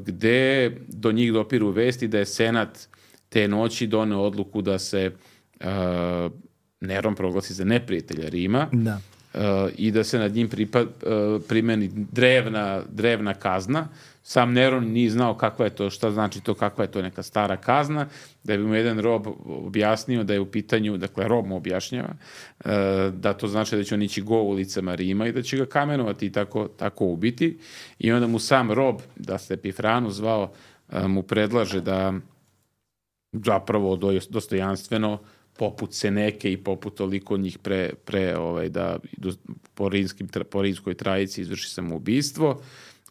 gde do njih dopiru vesti da je Senat te noći doneo odluku da se uh, Neron proglasi za neprijatelja Rima. Da. Uh, i da se nad njim pripa, primeni drevna, drevna kazna. Sam Neron nije znao kakva je to, šta znači to, kakva je to neka stara kazna, da bi mu jedan rob objasnio da je u pitanju, dakle rob mu objašnjava, da to znači da će on ići go ulicama Rima i da će ga kamenovati i tako, tako ubiti. I onda mu sam rob, da se Epifranu zvao, mu predlaže da zapravo dostojanstveno poput Seneke i poput toliko njih pre, pre ovaj, da po, rimskim, po rimskoj trajici izvrši samoubistvo.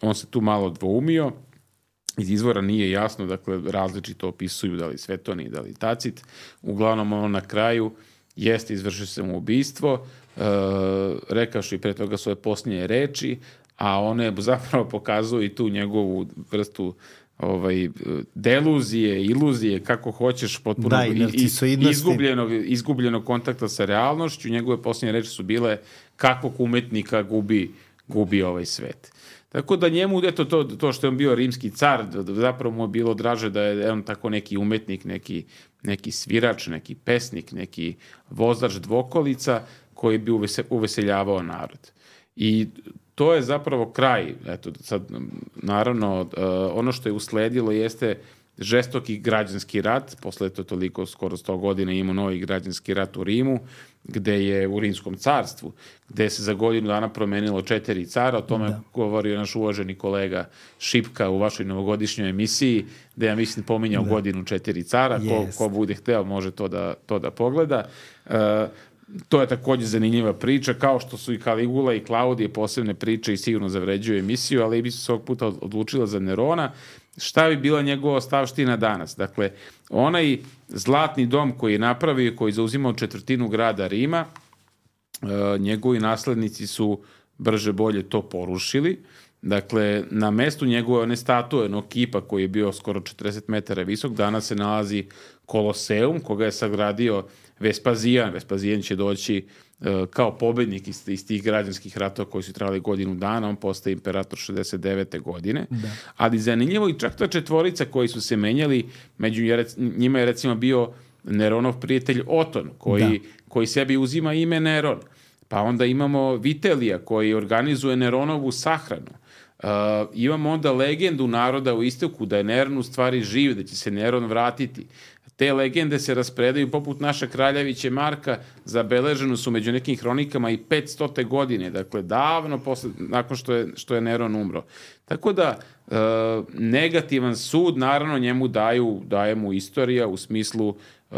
On se tu malo dvoumio, iz izvora nije jasno, dakle različito opisuju da li Svetonij, da li Tacit. Uglavnom on na kraju jeste izvršio samoubistvo, e, rekavši i pre toga svoje posljednje reči, a one zapravo pokazuju i tu njegovu vrstu ovaj, deluzije, iluzije, kako hoćeš, potpuno da, izgubljenog, izgubljenog kontakta sa realnošću. Njegove posljednje reči su bile kakvog umetnika gubi, gubi ovaj svet. Tako da njemu, eto, to, to što je on bio rimski car, zapravo mu je bilo draže da je on tako neki umetnik, neki, neki svirač, neki pesnik, neki vozač dvokolica koji bi uvese, uveseljavao narod. I to je zapravo kraj. Eto, sad, naravno, ono što je usledilo jeste žestoki građanski rat, posle to toliko, skoro sto godina imao novi građanski rat u Rimu, gde je u Rimskom carstvu, gde se za godinu dana promenilo četiri cara, o tome da. Govorio naš uvaženi kolega Šipka u vašoj novogodišnjoj emisiji, gde ja mislim pominjao da. godinu četiri cara, yes. ko, ko bude hteo može to da, to da pogleda. Uh, to je takođe zanimljiva priča, kao što su i Kaligula i Klaudije posebne priče i sigurno zavređuju emisiju, ali bi se ovog puta odlučila za Nerona. Šta bi bila njegova ostavština danas? Dakle, onaj zlatni dom koji je napravio, koji je zauzimao četvrtinu grada Rima, njegovi naslednici su brže bolje to porušili. Dakle, na mestu njegove one statue, onog kipa koji je bio skoro četrdeset metara visok, danas se nalazi Koloseum, koga je sagradio Vespazijan. Vespazijan će doći kao pobednik iz, iz tih građanskih ratova koji su trajali godinu dana, on postaje imperator šezdeset devete godine. Da. Ali zanimljivo i čak ta četvorica koji su se menjali, među njima je recimo bio Neronov prijatelj Oton, koji, da. koji sebi uzima ime Neron. Pa onda imamo Vitelija koji organizuje Neronovu sahranu. Uh, imamo onda legendu naroda u istoku da je Neron u stvari živ, da će se Neron vratiti. Te legende se raspredaju poput naša Kraljeviće Marka, zabeleženo su među nekim hronikama i petstote godine, dakle davno posle, nakon što je, što je Neron umro. Tako da e, negativan sud naravno njemu daju, daje mu istorija u smislu, e,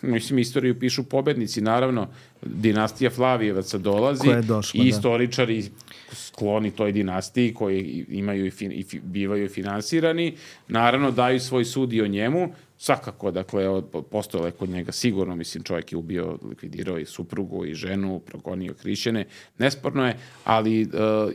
mislim istoriju pišu pobednici, naravno dinastija Flavijevaca dolazi došla, i istoričari skloni toj dinastiji koji imaju i, fin, i fi, bivaju finansirani, naravno daju svoj sud i o njemu. Svakako, dakle, postojalo je kod njega sigurno, mislim, čovjek je ubio, likvidirao i suprugu i ženu, progonio hrišćane, nesporno je, ali e,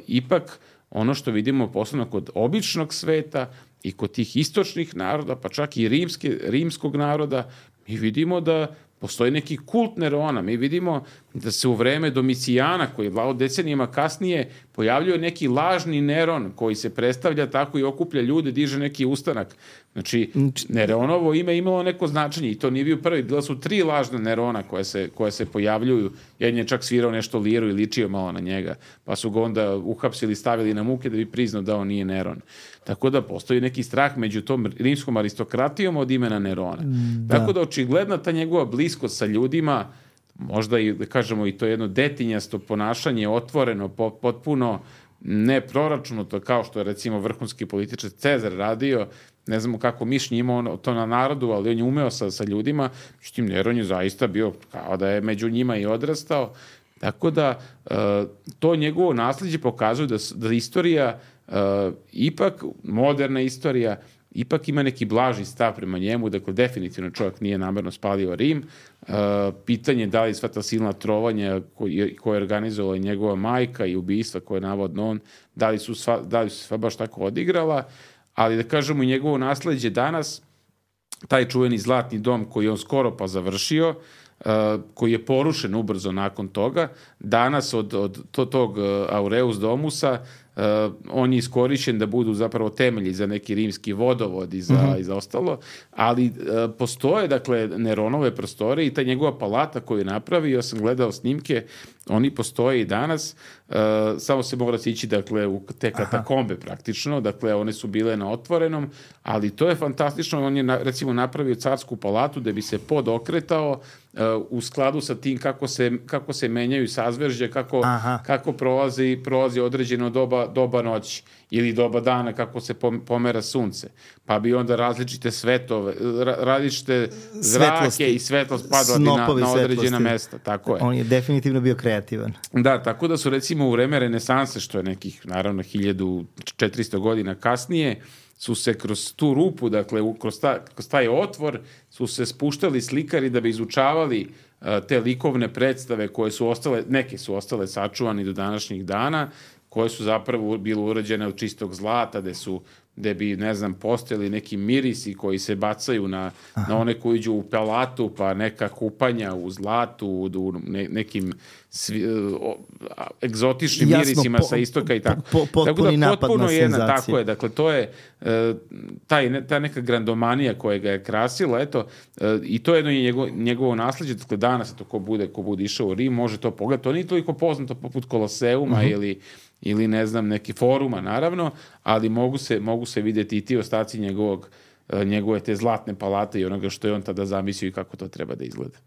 ipak ono što vidimo posebno kod običnog sveta i kod tih istočnih naroda, pa čak i rimske, rimskog naroda, mi vidimo da postoji neki kult Nerona. Mi vidimo da se u vreme Domicijana, koji je vladao decenijama kasnije, pojavljuje neki lažni Neron koji se predstavlja tako i okuplja ljude, diže neki ustanak. Znači, Neronovo ime imalo neko značenje i to nije bio prvi. Bila su tri lažna Nerona koje se, koje se pojavljuju. Jedan je čak svirao nešto liru i ličio malo na njega. Pa su ga onda uhapsili, stavili na muke da bi priznao da on nije Neron. Tako da postoji neki strah među tom rimskom aristokratijom od imena Nerona. Da. Tako da očigledna ta njegova bliskost sa ljudima, možda i, da kažemo, i to jedno detinjasto ponašanje, otvoreno, potpuno neproračunato, kao što je recimo vrhunski političar Cezar radio, ne znamo kako mišljenje imao to na narodu, ali on je umeo sa, sa ljudima, međutim Neron je zaista bio kao da je među njima i odrastao, tako da to njegovo nasljeđe pokazuje da, da istorija Uh, ipak, moderna istorija, ipak ima neki blaži stav prema njemu, dakle, definitivno čovjek nije namerno spalio Rim. Uh, pitanje da li sva ta silna trovanja koje, koje je organizovala njegova majka i ubistva koje je navodno on, da li su sva, da li su sva baš tako odigrala, ali da kažemo i njegovo nasleđe danas, taj čuveni zlatni dom koji je on skoro pa završio, Uh, koji je porušen ubrzo nakon toga, danas od, od to, tog uh, Aureus Domusa uh, on je iskorišćen da budu zapravo temelji za neki rimski vodovod i za, mm-hmm. i za ostalo, ali uh, postoje, dakle, Neronove prostore i ta njegova palata koju je napravio, sam gledao snimke, oni postoje i danas, uh, samo se mora ići, dakle, u te katakombe praktično, dakle, one su bile na otvorenom, ali to je fantastično, on je, na, recimo, napravio carsku palatu da bi se pod okretao uh, u skladu sa tim kako se, kako se menjaju sazveržđe, kako, kako prolazi, prolazi određeno doba, doba noći ili doba dana, kako se pomera sunce. Pa bi onda različite svetove, različite zrake svetlosti i svetlost padala bi na, na određena svetlosti. Mesta. Tako je. On je definitivno bio kreativan. Da, tako da su recimo u vreme renesanse, što je nekih, naravno, hiljadu četiristo godina kasnije, su se kroz tu rupu, dakle, kroz, ta, kroz taj otvor, su se spuštali slikari da bi izučavali uh, te likovne predstave koje su ostale, neke su ostale sačuvani do današnjih dana, koje su zapravo bile urađene od čistog zlata, gde su gde bi, ne znam, postojali neki mirisi koji se bacaju na, na one koji iđu u pelatu, pa neka kupanja u zlatu, u ne, nekim svi, o, egzotičnim Jasno, mirisima po, sa istoka i tako. Po, po, tako da napad potpuno na jedna, tako je, dakle, to je e, taj, ta neka grandomanija koja ga je krasila, eto, e, i to je jedno njego, njegovo nasleđe, dakle, danas, to ko bude, ko bude išao u Rim, može to pogledati, to nije toliko poznato poput Koloseuma uh-huh. ili ili ne znam, neki foruma, naravno, ali mogu se, mogu se vidjeti i ti ostaci njegovog, njegove te zlatne palate i onoga što je on tada zamislio i kako to treba da izgleda.